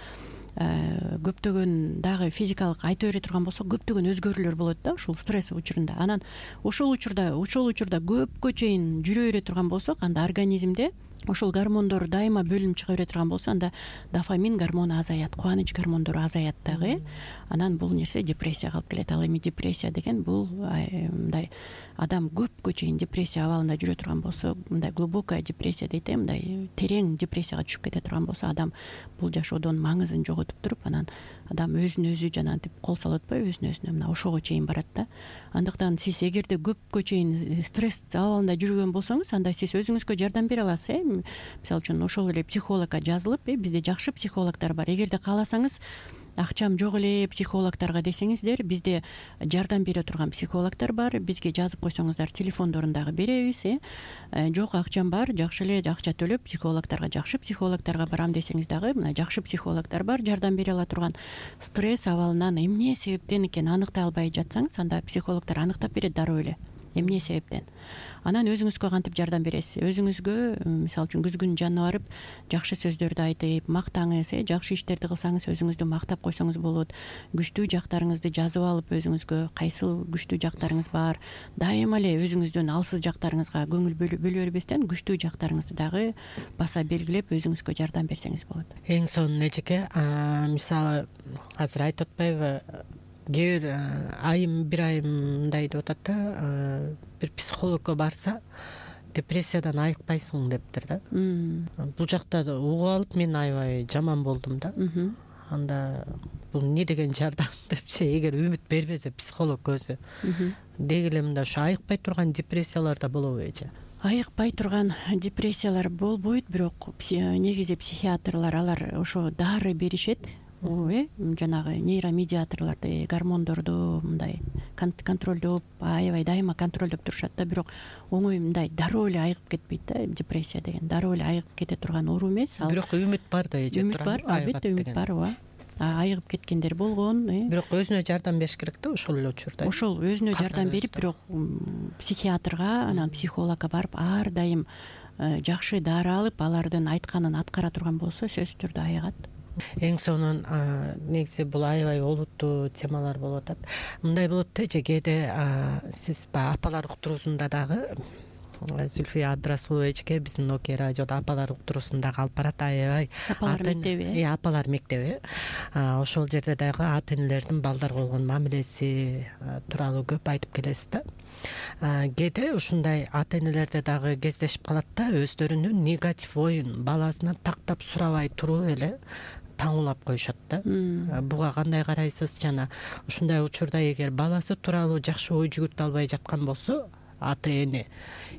көптөгөн дагы физикалык айта бере турган болсо, көптөгөн өзгөрүүлөр болот да ушул стресс учурунда. Анан ошол учурда ошол учурда көпкө чейин жүрө бере турган болсок, анда организмде ошол гормондор дайыма бөлүнүп чыга бере турган болсо, анда дофамин гормону азаят, кубаныч гормондору азаят дагы. Анан бул нерсе депрессияга алып келет. Ал эми депрессия деген бул мындай адам көпкө чейин депрессия абалында жүрө турган болсо, мындай глубокая депрессия дейт, мындай терең депрессияга түшүп кете турган болсо, адам бул жашоодон маңызын жоготуп туруп, анан адам өзүн өзү жанагынтип кол салып атпайбы, өзүн өзүнө мына ошого чейин барат да. Андыктан сиз эгерде көпкө чейин стресс абалында жүргөн болсоңуз, анда сиз өзүңүзгө жардам бере аласыз, э мисалы үчүн ошол эле психологко жазылып, э бизде жакшы психологдор бар. Эгерде кааласаңыз, акчам жок эле психологдорго десеңиздер, бизде жардам бере турган психологдор бар. Бизге жазып койсоңуздар, телефондорун дагы беребиз. э Жок, акчам бар, жакшы эле акча төлөп психологдорго, жакшы психологдорго барам десеңиз дагы, мына жакшы психологдор бар, жардам бере ала турган. Стресс абалынан эмне себептен экенин аныктай албай жатсаңыз, анда психологдор аныктап берет дароо эле. эмне себептен. Анан өзүңүзгө кантип жардам бересиз? Өзүңүзгө мисалы үчүн күзгүн жанына барып жакшы сөздөрдү айтып мактаңыз, э жакшы иштерди кылсаңыз өзүңүздү мактап койсоңуз болот. Күчтүү жактарыңызды жазып алып өзүңүзгө кайсыл күчтүү жактарыңыз бар, дайыма эле өзүңүздүн алсыз жактарыңызга көңүл бөлө бербестен күчтүү жактарыңызды дагы баса белгилеп өзүңүзгө жардам берсеңиз болот. Эң сонун эжеке, мисалы азыр айтып атпайбы, кээ бир айым бир айым мындай деп атат да, бир психологко барса депрессиядан айыкпайсың дептир да. Бул жакта угуп алып мен аябай жаман болдум да. Анда бул эмне деген жардам депчи, эгер үмүт бербесе психолог өзү деги эле мындай ушу айыкпай турган депрессиялар да болобу эже? Айыкпай турган депрессиялар болбойт, бирок негизи психиатрлар алар ошо дары беришет, э жанагы нейромедиаторлорду, гормондорду мындай контролдоп, аябай дайыма контролдоп турушат да, бирок оңой мындай дароо эле айыгып кетпейт да. Депрессия деген дароо эле айыгып кете турган оору эмес. Бирок үмүт бар да эже. Үмүт бар, албетте үмүт бар, ооба. Айыгып кеткендер болгон, э бирок өзүнө жардам бериш керек да ошол эле учурда. Ошол өзүнө жардам берип, бирок психиатрга, анан психологко барып ар дайым жакшы дары алып, алардын айтканын аткара турган болсо сөзсүз түрдө айыгат. Эң сонун негизи бул аябай олуттуу темалар болуп атат. Мындай болот да эже, кээде сиз баягы апалар уктуруусунда дагы Зульфия Абдрасулова эжеке биздин Ноке радиодо апалар уктуруусунда алып барат, аябай апалар мектеби. Э апалар мектеби. Ошол жерде дагы ата энелердин балдарга болгон мамилеси тууралуу көп айтып келесиз да. Кээде ушундай ата энелерде дагы кездешип калат да, өздөрүнүн негатив оюн баласынан тактап сурабай туруп эле таңуулап коюшат да. Буга кандай карайсыз? Жана ушундай учурда эгер баласы тууралуу жакшы ой жүгүртө албай жаткан болсо, ата эне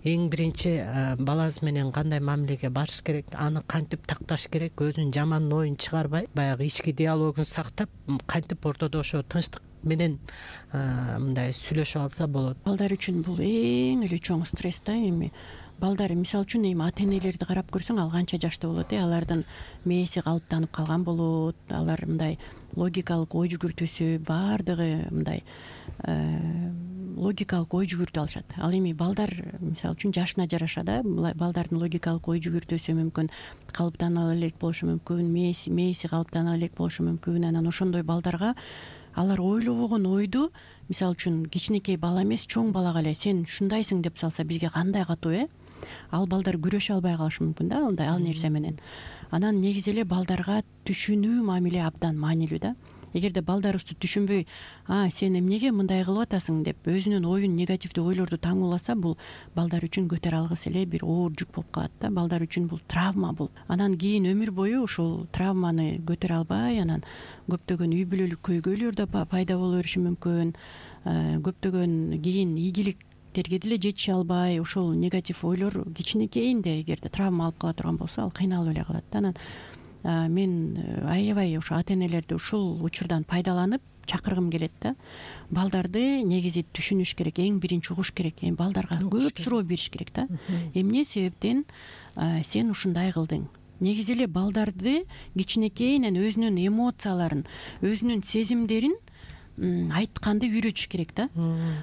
эң биринчи баласы менен кандай мамилеге барыш керек, аны кантип такташ керек, өзүнүн жаман оюн чыгарбай, баягы ички диалогун сактап, кантип ортодо ошо тынчтык менен мындай сүйлөшүп алса болот. Балдар үчүн бул эң эле чоң стресс да. Эми балдар мисалы үчүн эми ата энелерди карап көрсөң, ал канча жашта болот, э алардын мээси калыптанып калган болот, алар мындай логикалык ой жүгүртүүсү баардыгы мындай логикалык ой жүгүртүп алышат. Ал эми балдар мисалы үчүн жашына жараша да, балдардын логикалык ой жүгүртүүсү мүмкүн калыптана элек болушу мүмкүн, мээси мээси калыптана элек болушу мүмкүн. Анан ошондой балдарга алар ойлобогон ойду, мисалы үчүн кичинекей бала эмес, чоң балага эле сен ушундайсың деп салса, бизге кандай катуу, э ал балдар күрөшө албай калышы мүмкүн да, андай ал нерсе менен. Анан негизи эле балдарга түшүнүү мамиле абдан маанилүү да. Эгерде балдарыбызды түшүнбөй, а сен эмнеге мындай кылып атасың деп өзүнүн оюн, негативдүү ойлорду таңууласа, бул балдар үчүн көтөрө алгыс эле бир оор жүк болуп калат да. Балдар үчүн бул травма бул. Анан кийин өмүр бою ушул травманы көтөрө албай, анан көптөгөн үй бүлөлүк көйгөйлөр да пайда боло бериши мүмкүн. Көптөгөн кийин ийгиликтерге деле жетише албай, ошол негатив ойлор кичинекейинде эгерде травма алып кала турган болсо, ал кыйналып эле калат да. Анан мен аябай ошо ата энелерди ушул учурдан пайдаланып чакыргым келет да. Балдарды негизи түшүнүш керек, эң биринчи угуш керек. Эми балдарга көп суроо бериш керек да. Эмне себептен сен ушундай кылдың? Негизи эле балдарды кичинекейинен өзүнүн эмоцияларын, өзүнүн сезимдерин айтканды үйрөтүш керек да.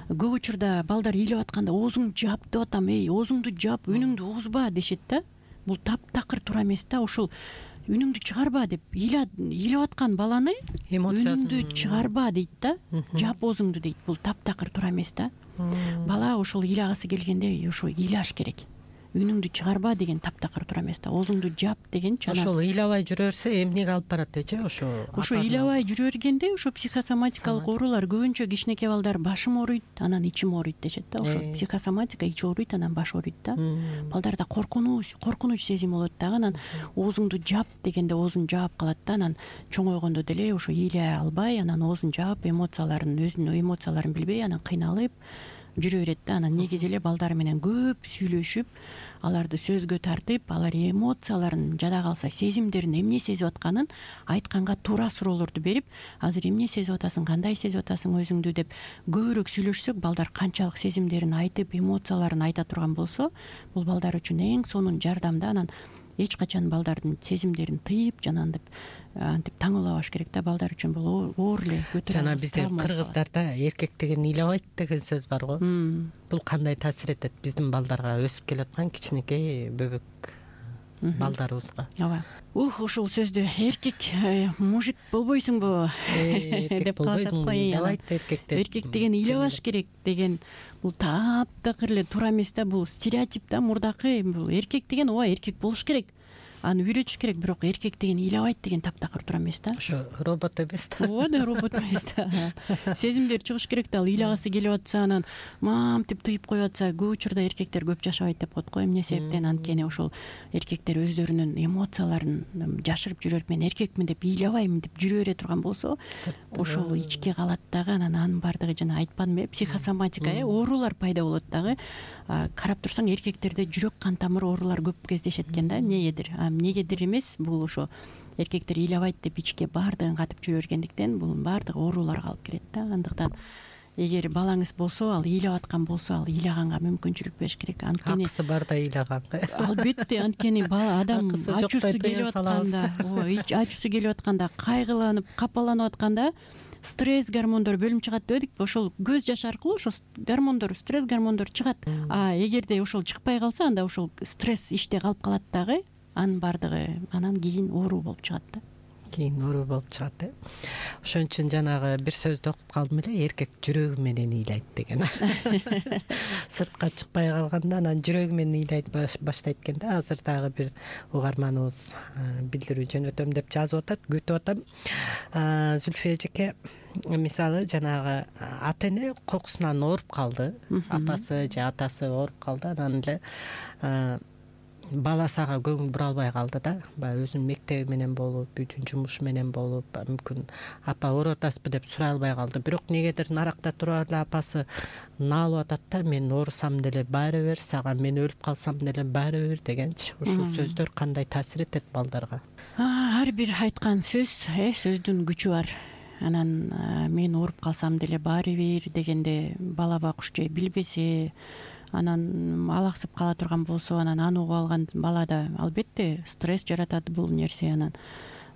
Көп учурда балдар ыйлап атканда оозуңду жап деп атам, эй, оозуңду жап, үнүңдү угузба дешет да. Бул таптакыр туура эмес да. Ошол үнүңдү чыгарба деп ыйлап аткан баланы үнүңдү чыгарба дейт да, жап оозуңду дейт. Бул таптакыр туура эмес да. Бала ошол ыйлагысы келгенде ошо ыйлаш керек. Үнүңдү чыгарба деген таптакыр туура эмес да. Оозуңду жап дегенчи. Ошол ыйлабай жүрө берсе эмнеге алып барат эже? Ошо ошо ыйлабай жүрө бергенде ошо психосоматикалык оорулар, көбүнчө кичинекей балдар башым ооруйт, анан ичим ооруйт дешет да. Ошо психосоматика, ич ооруйт, анан баш ооруйт да. Балдарда коркунуч, коркунуч сезими болот дагы. Анан оозуңду жап дегенде оозун жаап калат да. Анан чоңойгондо деле ошо ыйлай албай, анан оозун жаап, эмоцияларын, өзүнүн эмоцияларын билбей, анан кыйналып жүрө берет да. Анан негизи эле балдар менен көп сүйлөшүп, аларды сөзгө тартып, алар эмоцияларын, жада калса сезимдерин, эмне сезип атканын айтканга туура суроолорду берип, азыр эмне сезип атасың, кандай сезип атасың өзүңдү деп көбүрөөк сүйлөшсөк, балдар канчалык сезимдерин айтып, эмоцияларын айта турган болсо, бул балдар үчүн эң сонун жардам да. Анан эч качан балдардын сезимдерин тыйып жанагынтип антип таңуулабаш керек да. Балдар үчүн бул оор эле көтөрө жана бизде кыргыздарда эркек деген ыйлабайт деген сөз бар го. Бул кандай таасир этет биздин балдарга, өсүп келаткан кичинекей бөбөк балдарыбызга? Ооба. Ух, ушул сөздү эркек мужик болбойсуңбу деп калышат го. Ыйлабайт эркектер. Эркек деген ыйлабаш керек деген бул таптакыр эле туура эмес да. Бул стереотип да, мурдакы. Бул эркек деген ооба эркек болуш керек, аны үйрөтүш керек, бирок эркек деген ыйлабайт деген таптакыр туура эмес да. Ошо робот эмес да. Ооба да, робот эмес да. Сезимдер чыгыш керек да. Ал ыйлагысы келип атса, анан мамтип тыйып коюп атса, көп учурда эркектер көп жашабайт деп коет го. Эмне себептен? Анткени ошол эркектер өздөрүнүн эмоцияларын жашырып жүрөт. Мен эркекмин деп ыйлабайм деп жүрө бере турган болсо, ошол ичке калат дагы. Анан анын баардыгы жана айтпадымбы, психосоматика, оорулар пайда болот дагы. Карап турсаң, эркектерде жүрөк кан тамыр оорулар көп кездешет экен да. Эмнегедир? Эмнегедир эмес, бул ошо эркектер ыйлабайт деп ичке баардыгын катып жүрө бергендиктен бул баардыгы ооруларга алып келет да. Андыктан эгер балаңыз болсо, ал ыйлап аткан болсо, ал ыйлаганга мүмкүнчүлүк бериш керек. Анткени акысы бар да ыйлаганга. Албетте, анткени бала адам ачуусу келип атканда, ооба, ачуусу келип атканда, кайгыланып, капаланып атканда стресс гормондору бөлүнүп чыгат дебедикпи? Ошол көз жаш аркылуу ошол гормондор, стресс гормондору чыгат. А эгерде ошол чыкпай калса, анда ошол стресс ичте калып калат дагы. Анын баардыгы анан кийин оору болуп чыгат да. Кийин оору болуп чыгат. Ошон үчүн жанагы бир сөздү окуп калдым эле, эркек жүрөгү менен ыйлайт деген. Сыртка чыкпай калганда анан жүрөгү менен ыйлайт баштайт экен да. Азыр дагы бир угарманыбыз билдирүү жөнөтөм деп жазып атат, күтүп атам. Зүлфия эжеке, мисалы жанагы ата эне кокусунан ооруп калды, апасы же атасы ооруп калды, анан эле баласы ага көңүл бура албай калды да. Баягы өзүнүн мектеби менен болуп, бүтүн жумушу менен болуп, мүмкүн апа ооруп атасызбы деп сурай албай калды. Бирок негедир наракта туруп эле апасы наалып атат да, мен оорусам деле баары бир, сага мен өлүп калсам деле баары бир дегенчи. Ушул сөздөр кандай таасир этет балдарга? Ар бир айткан сөз, э, сөздүн күчү бар. Анан мен ооруп калсам деле баары бир дегенде бала бакыш же билбесе, анан алаксып кала турган болсо, анан аны угуп алган балада албетте стресс жаратат бул нерсе. Анан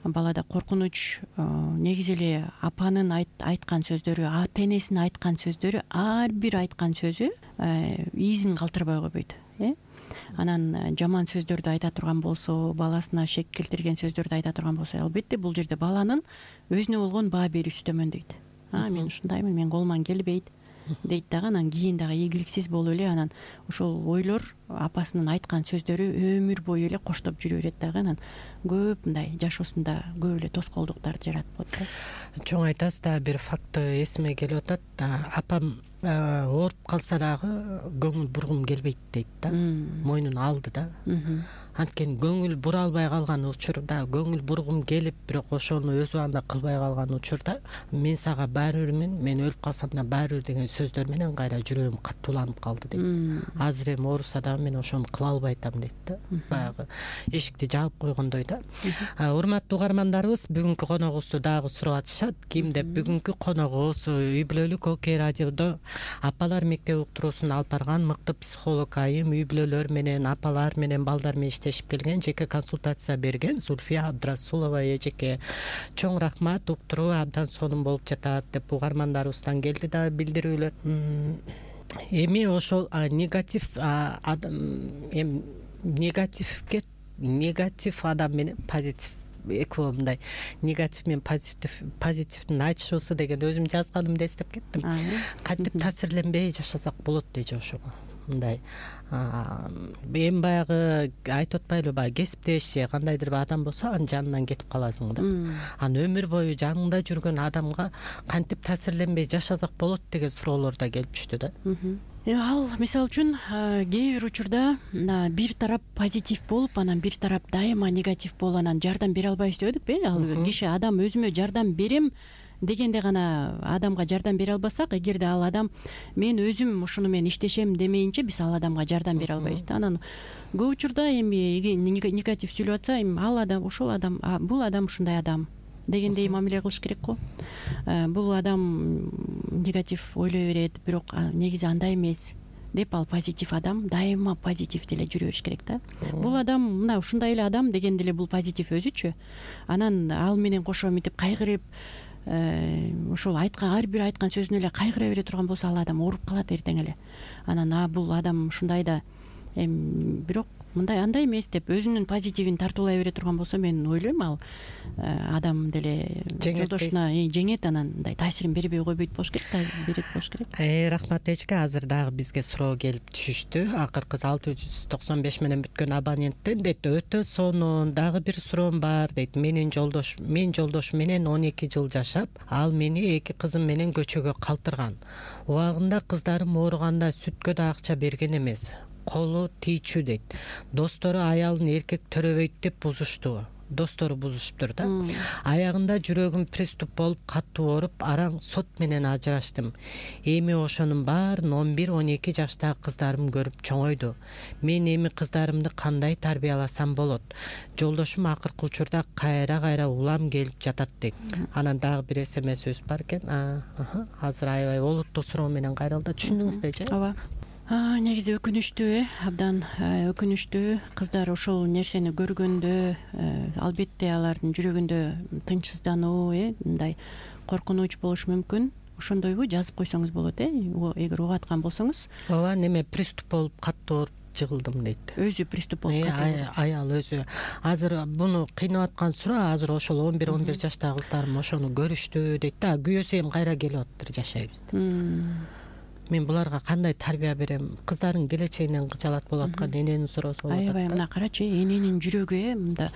балада коркунуч, негизи эле апанын айткан сөздөрү, ата энесинин айткан сөздөрү, ар бир айткан сөзү изин калтырбай койбойт, э анан жаман сөздөрдү айта турган болсо, баласына шек келтирген сөздөрдү айта турган болсо, албетте бул жерде баланын өзүнө болгон баа берүүсү төмөндөйт. А мен ушундаймын, мен колуман келбейт дейт дагы. Анан кийин дагы ийгиликсиз болуп эле анан ошол ойлор, апасынын айткан сөздөрү өмүр бою эле коштоп жүрө берет дагы. Анан көп мындай жашоосунда көп эле тоскоолдуктарды жаратып коет да. Чоң айтасыз да, бир факты эсиме келип атат. Апам ооруп калса дагы көңүл бургум келбейт дейт да. Мойнуна алды да. Анткени көңүл бура албай калган учурда, көңүл бургум келип, бирок ошону өз убагында кылбай калган учурда, мен сага баары бирмин, мен өлүп калсам да баары бир деген сөздөр менен кайра жүрөгүм каттууланып калды дейт. Азыр эми ооруса дагы мен ошону кыла албай атам дейт да. Баягы эшикти жаап койгондой да. Урматтуу угармандарыбыз, бүгүнкү коногубузду дагы сурап атышат. Ким деп? Бүгүнкү коногубуз Үй бүлөлүк Окей радиодо апалар мектеби уктуруусун алып барган мыкты психолог айым, үй бүлөлөр менен, апалар менен, балдар менен иштешип келген, жеке консультация берген Зүлфия Абдрасулова эжеке. Чоң рахмат, уктуруу абдан сонун болуп жатат деп угармандарыбыздан келди да билдирүүлөр. Эми ошол негатив эми негативге негатив адам менен позитив экөө мындай негатив менен позитив позитивдин айтышуусу деген өзүм жазганым да эстеп кеттим. Кантип таасирленбей жашасак болот дейчи ошого. Мындай эми баягы айтып атпайлыбы, баягы кесиптеш же кандайдыр бир адам болсо анын жанынан кетип каласың да. Анан өмүр бою жаныңда жүргөн адамга кантип таасирленбей жашасак болот деген суроолор да келип түштү да. Ал мисалы үчүн кээ бир учурда бир тарап позитив болуп, анан бир тарап дайыма негатив болуп, анан жардам бере албайбыз дебедикпи? Ал киши адам өзүмө жардам берем дегенде гана адамга жардам бере албасак, эгерде ал адам мен өзүм ушуну мен иштешем демейинче биз ал адамга жардам бере албайбыз да. Анан көп учурда эми негатив сүйлөп атса, эми ал адам, ошол адам, бул адам ушундай адам дегендей мамиле кылыш керек го. Бул адам негатив ойлой берет, бирок негизи андай эмес деп ал позитив адам дайыма позитив деле жүрө бериш керек да. Бул адам мына ушундай эле адам деген деле бул позитив өзүчү. Анан ал менен кошо мынтип кайгырып ошол айткан ар бир айткан сөзүнө эле кайгыра бере турган болсо ал адам ооруп калат эртең эле. Анан а бул адам ушундай да эми бирок мындай андай эмес деп өзүнүн позитивин тартуулай бере турган болсо мен ойлойм ал адам деле жолдошуна жеңет, анан мындай таасирин бербей койбойт болуш керек да, берет болуш керек. Рахмат эчке. Азыр дагы бизге суроо келип түшүштү. Акыркы алты жүз токсон беш менен бүткөн абоненттен дейт, өтө сонун, дагы бир суроом бар дейт. Менин жолдош мен жолдошум менен он эки жыл жашап, ал мени эки кызым менен көчөгө калтырган. Убагында кыздарым ооруганда сүткө да акча берген эмес. Колу тийчү дейт. Достору аялын эркек төрөбөйт деп бузушту. Достору бузушуптур да. Аягында жүрөгүм приступ болуп катуу ооруп, араң сот менен ажыраштым. Эми ошонун баарын он бир он эки жаштагы кыздарым көрүп чоңойду. Мен эми кыздарымды кандай тарбияласам болот? Жолдошум акыркы учурда кайра кайра улам келип жатат дейт. Анан дагы бир смс бар экен. Азыр аябай олуттуу суроо менен кайрылды. Түшүндүңүздөрчү? Ооба. Негизи өкүнүчтүү, э абдан өкүнүчтүү. Кыздар ошол нерсени көргөндө албетте алардын жүрөгүндө тынчсыздануу, э мындай коркунуч болушу мүмкүн. Ошондойбу жазып койсоңуз болот, э эгер угуп аткан болсоңуз. Ооба, неме приступ болуп катуу ооруп жыгылдым дейт. Өзү приступ болуп катуу. Аял өзү. Азыр буну кыйнап аткан суроо, азыр ошол он бир он бир жаштагы кыздарым ошону көрүштү дейт да. Күйөөсү эми кайра келип атыптыр, жашайбыз деп. Мен буларга кандай тарбия берем? Кыздардын келечегинен кычалат болуп аткан эненин суроосу болуп атат. Аябай мына карачы, эненин жүрөгү э мында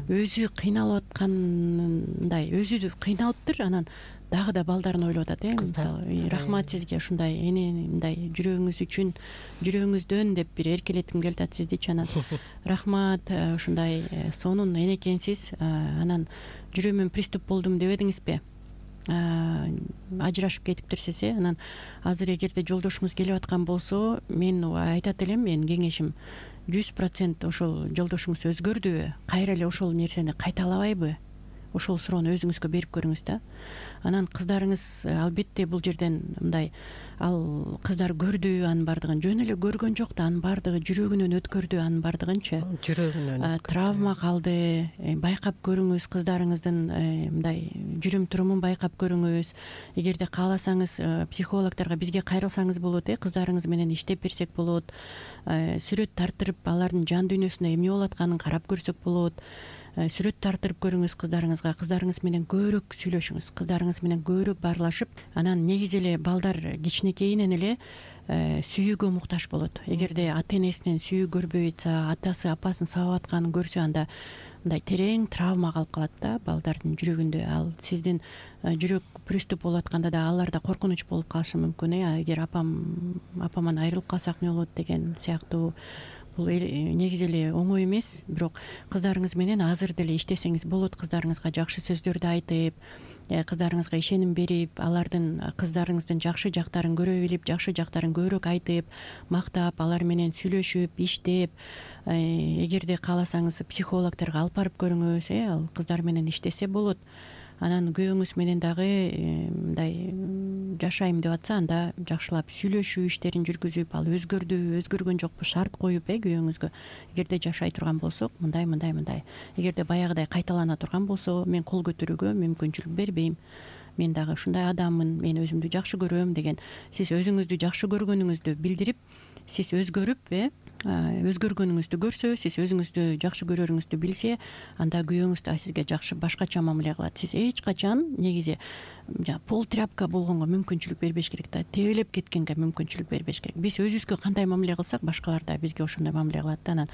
өзү кыйналып аткандай, өзү кыйналыптыр, анан дагы да балдарын ойлоп атат, э мисалы. Рахмат сизге ушундай эне мындай жүрөгүңүз үчүн, жүрөгүңүздөн деп бир эркелетким келип атат сиздичи. Анан рахмат, ушундай сонун эне экенсиз. Анан жүрөгүмөн приступ болдум дебедиңизби? Ажырашып кетиптирсиз, э анан азыр эгерде жолдошуңуз келип аткан болсо, мен айтат элем, менин кеңешим жүз процент ошол жолдошуңуз өзгөрдүбү, кайра эле ошол нерсени кайталабайбы? Ошол суроону өзүңүзгө берип көрүңүз да. Анан кыздарыңыз албетте бул жерден мындай, ал кыздар көрдү анын бардыгын, жөн эле көргөн жок да, анын бардыгы жүрөгүнөн өткөрдү анын бардыгынчы. Жүрөгүнөн травма калды. Байкап көрүңүз кыздарыңыздын мындай жүрүм турумун байкап көрүңүз. Эгерде кааласаңыз психологдорго бизге кайрылсаңыз болот, э кыздарыңыз менен иштеп берсек болот. Сүрөт тартырып алардын жан дүйнөсүнө эмне болуп атканын карап көрсөк болот. Сүрөт тартырып көрүңүз кыздарыңызга, кыздарыңыз менен көбүрөөк сүйлөшүңүз, кыздарыңыз менен көбүрөөк баарлашып, анан негизи эле балдар кичинекейинен эле сүйүүгө муктаж болот. Эгерде ата энесинен сүйүү көрбөй атса, атасы апасын сабап атканын көрсө, анда мындай терең травма калып калат да балдардын жүрөгүндө. Ал сиздин жүрөк приступ болуп атканда да алар да коркунуч болуп калышы мүмкүн, э эгер апам апаман айрылып калсак эмне болот деген сыяктуу. Бул негизи эле оңой эмес, бирок кыздарыңыз менен азыр деле иштесеңиз болот. Кыздарыңызга жакшы сөздөрдү айтып, кыздарыңызга ишеним берип, алардын кыздарыңыздын жакшы жактарын көрө билип, жакшы жактарын көбүрөөк айтып, мактап, алар менен сүйлөшүп, иштеп, эгерде кааласаңыз психологдорго алып барып көрүңүз, э ал кыздар менен иштесе болот. Анан күйөөңүз менен дагы мындай жашайм деп атса, анда жакшылап сүйлөшүү иштерин жүргүзүп, ал өзгөрдү, өзгөргөн жокпу, шарт коюп, э күйөөңүзгө. Эгерде жашай турган болсок, мындай мындай мындай. Эгерде баягыдай кайталана турган болсо, мен кол көтөрүүгө мүмкүнчүлүк бербейм. Мен дагы ушундай адаммын, мен өзүмдү жакшы көрөм деген. Сиз өзүңүздү жакшы көргөнүңүздү билдирип, сиз өзгөрүп, э өзгөргөнүңүздү көрсө, сиз өзүңүздү жакшы көрөрүңүздү билсе, анда күйөөңүз да сизге жакшы башкача мамиле кылат. Сиз эч качан негизи пол тряпка болгонго мүмкүнчүлүк бербеш керек да, тебелеп кеткенге мүмкүнчүлүк бербеш керек. Биз өзүбүзгө кандай мамиле кылсак, башкалар да бизге ошондой мамиле кылат да. Анан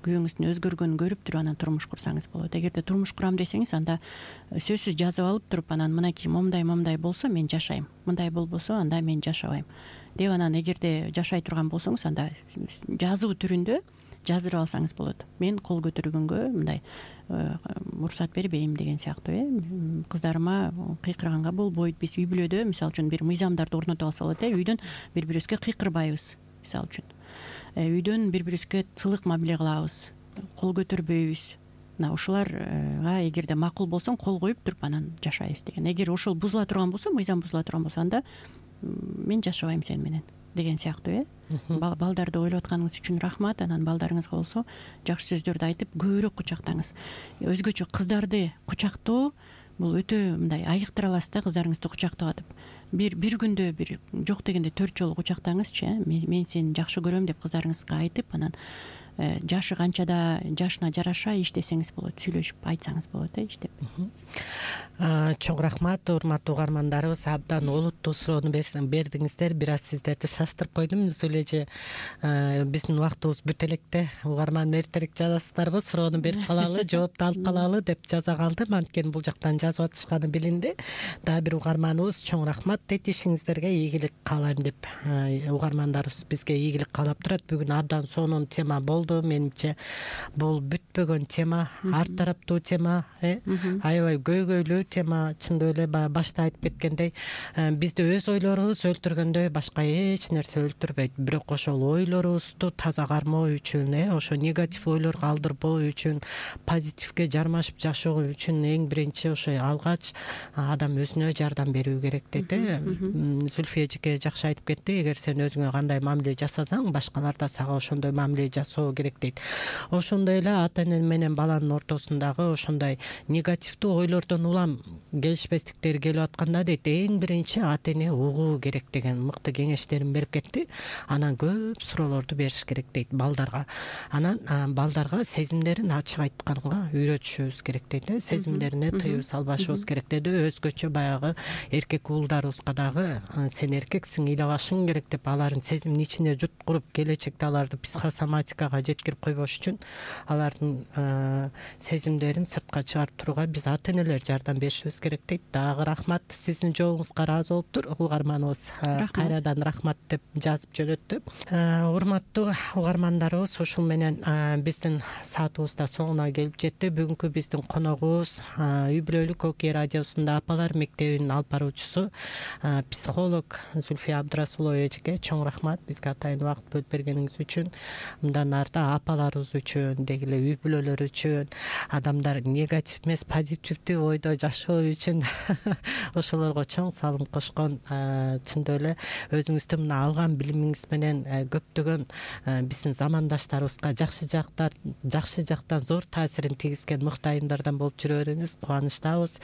күйөөңүздүн өзгөргөнүн көрүп туруп, анан турмуш курсаңыз болот. Эгерде турмуш курам десеңиз, анда сөзсүз жазып алып туруп, анан мынакей момундай момундай болсо мен жашайм, мындай болбосо анда мен жашабайм деп, анан эгерде жашай турган болсоңуз, анда жазуу түрүндө жаздырып алсаңыз болот. Мен кол көтөргөнгө мындай уруксат бербейм деген сыяктуу, э кыздарыма кыйкырганга болбойт. Биз үй бүлөдө мисалы үчүн бир мыйзамдарды орнотуп алса болот, э үйдөн бири бирибизге кыйкырбайбыз, мисалы үчүн. Үйдөн бири бирибизге сылык мамиле кылабыз, кол көтөрбөйбүз. Мына ушуларга эгерде макул болсоң, кол коюп туруп анан жашайбыз деген. Эгер ошол бузула турган болсо, мыйзам бузула турган болсо, анда мен жашабайм сени менен деген сыяктуу э балдарды ойлоп атканыңыз үчүн рахмат. Анан балдарыңызга болсо жакшы сөздөрдү айтып көбүрөөк кучактаңыз. Өзгөчө кыздарды кучактоо бул өтө мындай айыктыра аласыз да кыздарыңызды кучактоо деп. Бир бир күндө бир жок дегенде төрт жолу кучактаңызчы э мен сени жакшы көрөм деп кыздарыңызга айтып, анан жашы канчада жашына жараша иштесеңиз болот, сүйлөшүп айтсаңыз болот э иштеп. Чоң рахмат урматтуу угармандарыбыз, абдан олуттуу суроону бердиңиздер. Бир аз сиздерди шаштырып койдум. Өзү эле же биздин убактыбыз бүтө электе. Угарман эртерээк жазасыздарбы, суроону берип калалы, жоопту алып калалы деп жаза калдым. Анткени бул жактан жазып атышканы билинди. Дагы бир угарманыбыз чоң рахмат дейт, ишиңиздерге ийгилик каалайм деп. Угармандарыбыз бизге ийгилик каалап турат. Бүгүн абдан сонун тема болду. Менимче бул бүтпөгөн тема, ар тараптуу тема, э аябай көйгөйлүү тема. Чындап эле баягы башта айтып кеткендей, бизди өз ойлорубуз өлтүргөндөй башка эч нерсе өлтүрбөйт. Бирок ошол ойлорубузду таза кармоо үчүн, э ошо негатив ойлорго алдырбоо үчүн, позитивге жармашып жашоо үчүн эң биринчи ошо алгач адам өзүнө жардам берүү керек дейт, э Зүлфия эжеке жакшы айтып кетти. Эгер сен өзүңө кандай мамиле жасасаң, башкалар да сага ошондой мамиле жасоо керек дейт. Ошондой эле ата эне менен баланын ортосундагы ошондой негативдүү ойлордон улам келишпестиктер келип атканда дейт, эң биринчи ата эне угуу керек деген мыкты кеңештерин берип кетти. Анан көп суроолорду бериш керек дейт балдарга. Анан балдарга сезимдерин ачык айтканга үйрөтүшүбүз керек дейт. Сезимдерине тыюу салбашыбыз керек деди. Өзгөчө баягы эркек уулдарыбызга дагы сен эркексиң, ыйлабашың керек деп алардын сезимин ичине жуткуруп, келечекте аларды психосоматикага жеткирип койбош үчүн алардын сезимдерин сыртка чыгарып турууга биз ата энелер жардам беришибиз керек дейт. Дагы рахмат, сиздин жообуңузга ыраазы болуптур. Угарманыбыз кайрадан рахмат деп жазып жөнөттү. Урматтуу угармандарыбыз, ушул менен биздин саатыбыз да соңуна келип жетти. Бүгүнкү биздин коногубуз Үй бүлөлүк Окей радиосунда апалар мектебинин алып баруучусу психолог Зүлфия Абдрасулова эжеке. Чоң рахмат бизге атайын убакыт бөлүп бергениңиз үчүн. Мындан арта апаларыбыз үчүн, деги эле үй бүлөлөр үчүн, адамдар негатив эмес позитивдүү ойдо жашоо үчүн ошолорго чоң салым кошкон, чындап эле өзүңүздүн мына алган билимиңиз менен көптөгөн биздин замандаштарыбызга жакшы жактар жакшы жактан зор таасирин тийгизген мыкты айымдардан болуп жүрө бериңиз. Кубанычтабыз.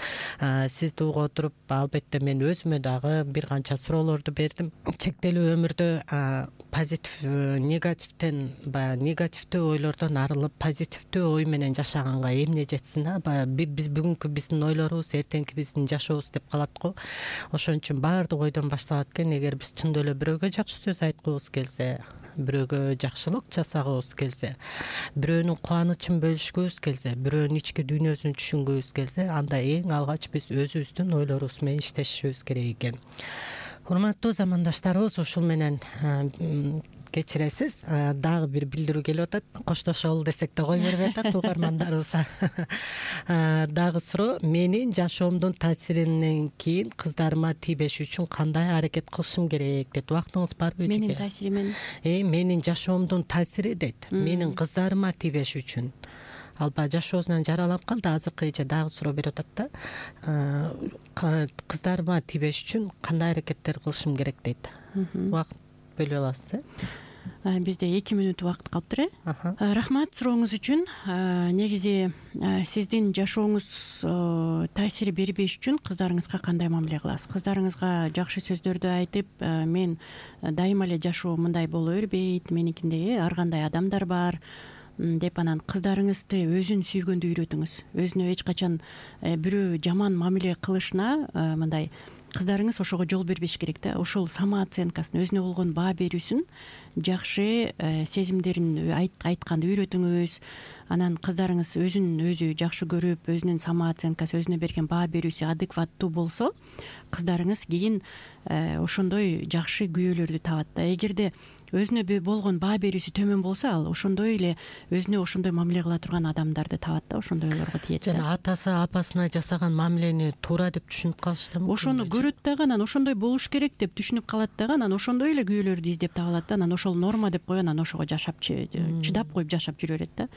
Сизди угуп отуруп, албетте мен өзүмө дагы бир канча суроолорду бердим. Чектелүү өмүрдө позитив, негативден баягы негативдүү ойлордон арылып, позитивдүү ой менен жашаганга эмне жетсин да? Баягы биз бүгүнкү биздин ойлорубуз эртеңки биздин жашообуз деп калат го. Ошон үчүн баардык ойдон башталат экен. Эгер биз чындап эле бирөөгө жакшы сөз айткыбыз келсе, бирөөгө жакшылык жасагыбыз келсе, бирөөнүн кубанычын бөлүшкүбүз келсе, бирөөнүн ички дүйнөсүн түшүнгүбүз келсе, анда эң алгач биз өзүбүздүн ойлорубуз менен иштешибиз керек экен. Урматтуу замандаштарыбыз, ушул менен кечиресиз, дагы бир билдирүү келип атат. Коштошолу десек да кой бербей атат угармандарыбыз. Дагы суроо: менин жашоомдун таасиринен кийин кыздарыма тийбеш үчүн кандай аракет кылышым керек дейт. Убактыңыз барбы эжеке? Менин таасирим Э, менин жашоомдун таасири дейт. Менин кыздарыма тийбеш үчүн. Ал баягы жашоосунан жараланып калды. Азыркы эже дагы суроо берип атат да. Кыздарыма тийбеш үчүн кандай аракеттер кылышым керек дейт. Убакыт бөлө аласыз, э? Бизде эки мүнөт убакыт калыптыр, э? Рахмат сурооңуз үчүн. Негизи сиздин жашооңуз таасир бербеш үчүн кыздарыңызга кандай мамиле кыласыз? Кыздарыңызга жакшы сөздөрдү айтып, мен дайыма эле жашоо мындай боло бербейт, меникиндей ар кандай адамдар бар деп, анан кыздарыңызды өзүн сүйгөндү үйрөтүңүз. Өзүнө эч качан бирөө жаман мамиле кылышына мындай кыздарыңыз ошого жол бербеш керек да. Ошол самооценкасын, өзүнө болгон баа берүүсүн, жакшы сезимдерин айтканды үйрөтүңүз. Анан кыздарыңыз өзүн өзү жакшы көрүп, өзүнүн самооценкасы, өзүнө берген баа берүүсү адекваттуу болсо, кыздарыңыз кийин ошондой жакшы күйөөлөрдү табат да. Эгерде өзүнө болгон баа берүүсү төмөн болсо, ал ошондой эле өзүнө ошондой мамиле кыла турган адамдарды табат да, ошондой ойлорго тиет. Жана атасы апасына жасаган мамилени туура деп түшүнүп калыштыр мүмкүн. Ошону көрөт дагы, анан ошондой болуш керек деп түшүнүп калат дагы, анан ошондой эле күйөөлөрдү издеп таба алат да. Анан ошол норма деп коюп, анан ошого жашап чыдап коюп жашап жүрө берет да.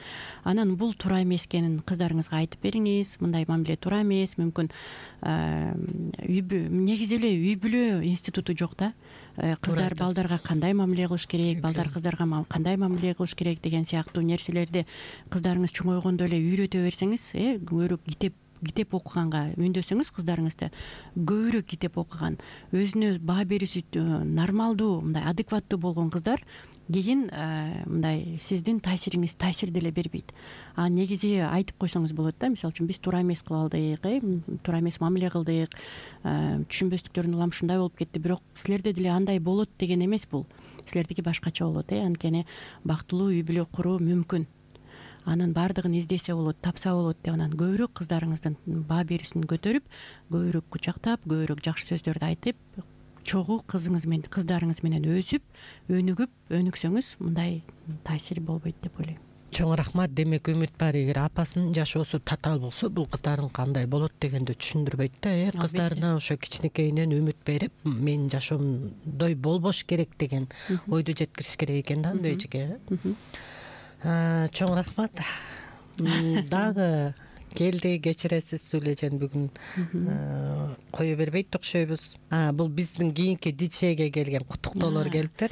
Анан бул туура эмес экенин кыздарыңызга айтып бериңиз. Мындай мамиле туура эмес. Мүмкүн негизи эле үй бүлө институту жок да. кыздар айтасыз. балдарга кандай мамиле кылыш керек, балдар кыздарга кандай мамиле кылыш керек деген сыяктуу нерселерди кыздарыңыз чоңойгондо эле үйрөтө берсеңиз, э көбүрөөк китеп китеп окуганга үндөсөңүз, кыздарыңызды көбүрөөк китеп окуган, өзүнө баа берүүсү нормалдуу, мындай адекваттуу болгон кыздар кийин мындай сиздин таасириңиз таасир деле бербейт. А негизи айтып койсоңуз болот да, мисалы үчүн биз туура эмес кыла алдык, э туура эмес мамиле кылдык, түшүнбөстүктөрдүн улам ушундай болуп кетти, бирок силерде деле андай болот деген эмес бул. Силердики башкача болот, э анткени бактылуу үй бүлө куруу мүмкүн. Анын баардыгын издесе болот, тапса болот деп анан көбүрөөк кыздарыңыздын баа берүүсүн көтөрүп, көбүрөөк кучактап, көбүрөөк жакшы сөздөрдү айтып, чогуу кызыңыз менен кыздарыңыз менен өсүп, өнүгүп, өнүксөңүз мындай таасир болбойт деп ойлойм. Чоң рахмат. Демек үмүт бар, эгер апасынын жашоосу татаал болсо, бул кыздардын кандай болот дегенди түшүндүрбөйт да, э кыздарына ошо кичинекейинен үмүт берип, менин жашоомдой болбош керек деген ойду жеткириш керек экен да, андай эжеке. Чоң рахмат. Дагы келди, кечиресиз, Сүлөжен бүгүн кое бербейт окшойбуз. Бул биздин кийинки дичеге келген куттуктоолор келиптир.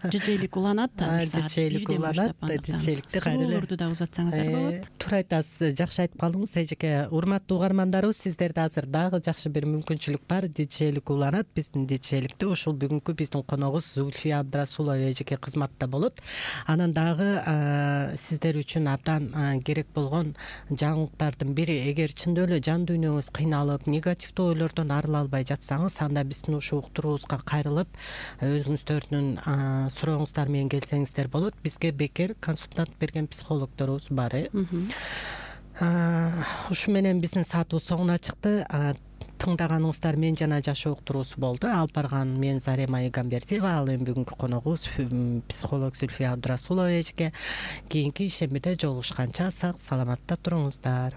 Дичейлик уланат азыр. Дичейлик уланат, дичейликти кайра эле суроолорду да узатсаңыздар болот. Туура айтасыз, жакшы айтып калдыңыз эжеке. Урматтуу угармандарыбыз, сиздерде азыр дагы жакшы бир мүмкүнчүлүк бар. Дичейлик уланат, биздин дичейликте ушул бүгүнкү биздин коногубуз Зульфия Абдрасулова эжеке кызматта болот. Анан дагы сиздер үчүн абдан керек болгон жаңылыктардын бири, эгер чындап эле жан дүйнөңүз кыйналып, негативдүү ойлордон арыла албай жатсаңыз, анда биздин ушул уктуруубузга кайрылып, өзүңүздөрдүн сурооңуздар менен келсеңиздер болот. Бизге бекер консультант берген психологдорубуз бар. Ушу менен биздин саатыбыз соңуна чыкты. Тыңдаганыңыздар Мен жана жашоо уктуруусу болду. Алып барган мен Зарема Игамбердиева, ал эми бүгүнкү коногубуз психолог Зульфия Абдрасулова эжеке. Кийинки ишембиде жолугушканча сак саламатта туруңуздар.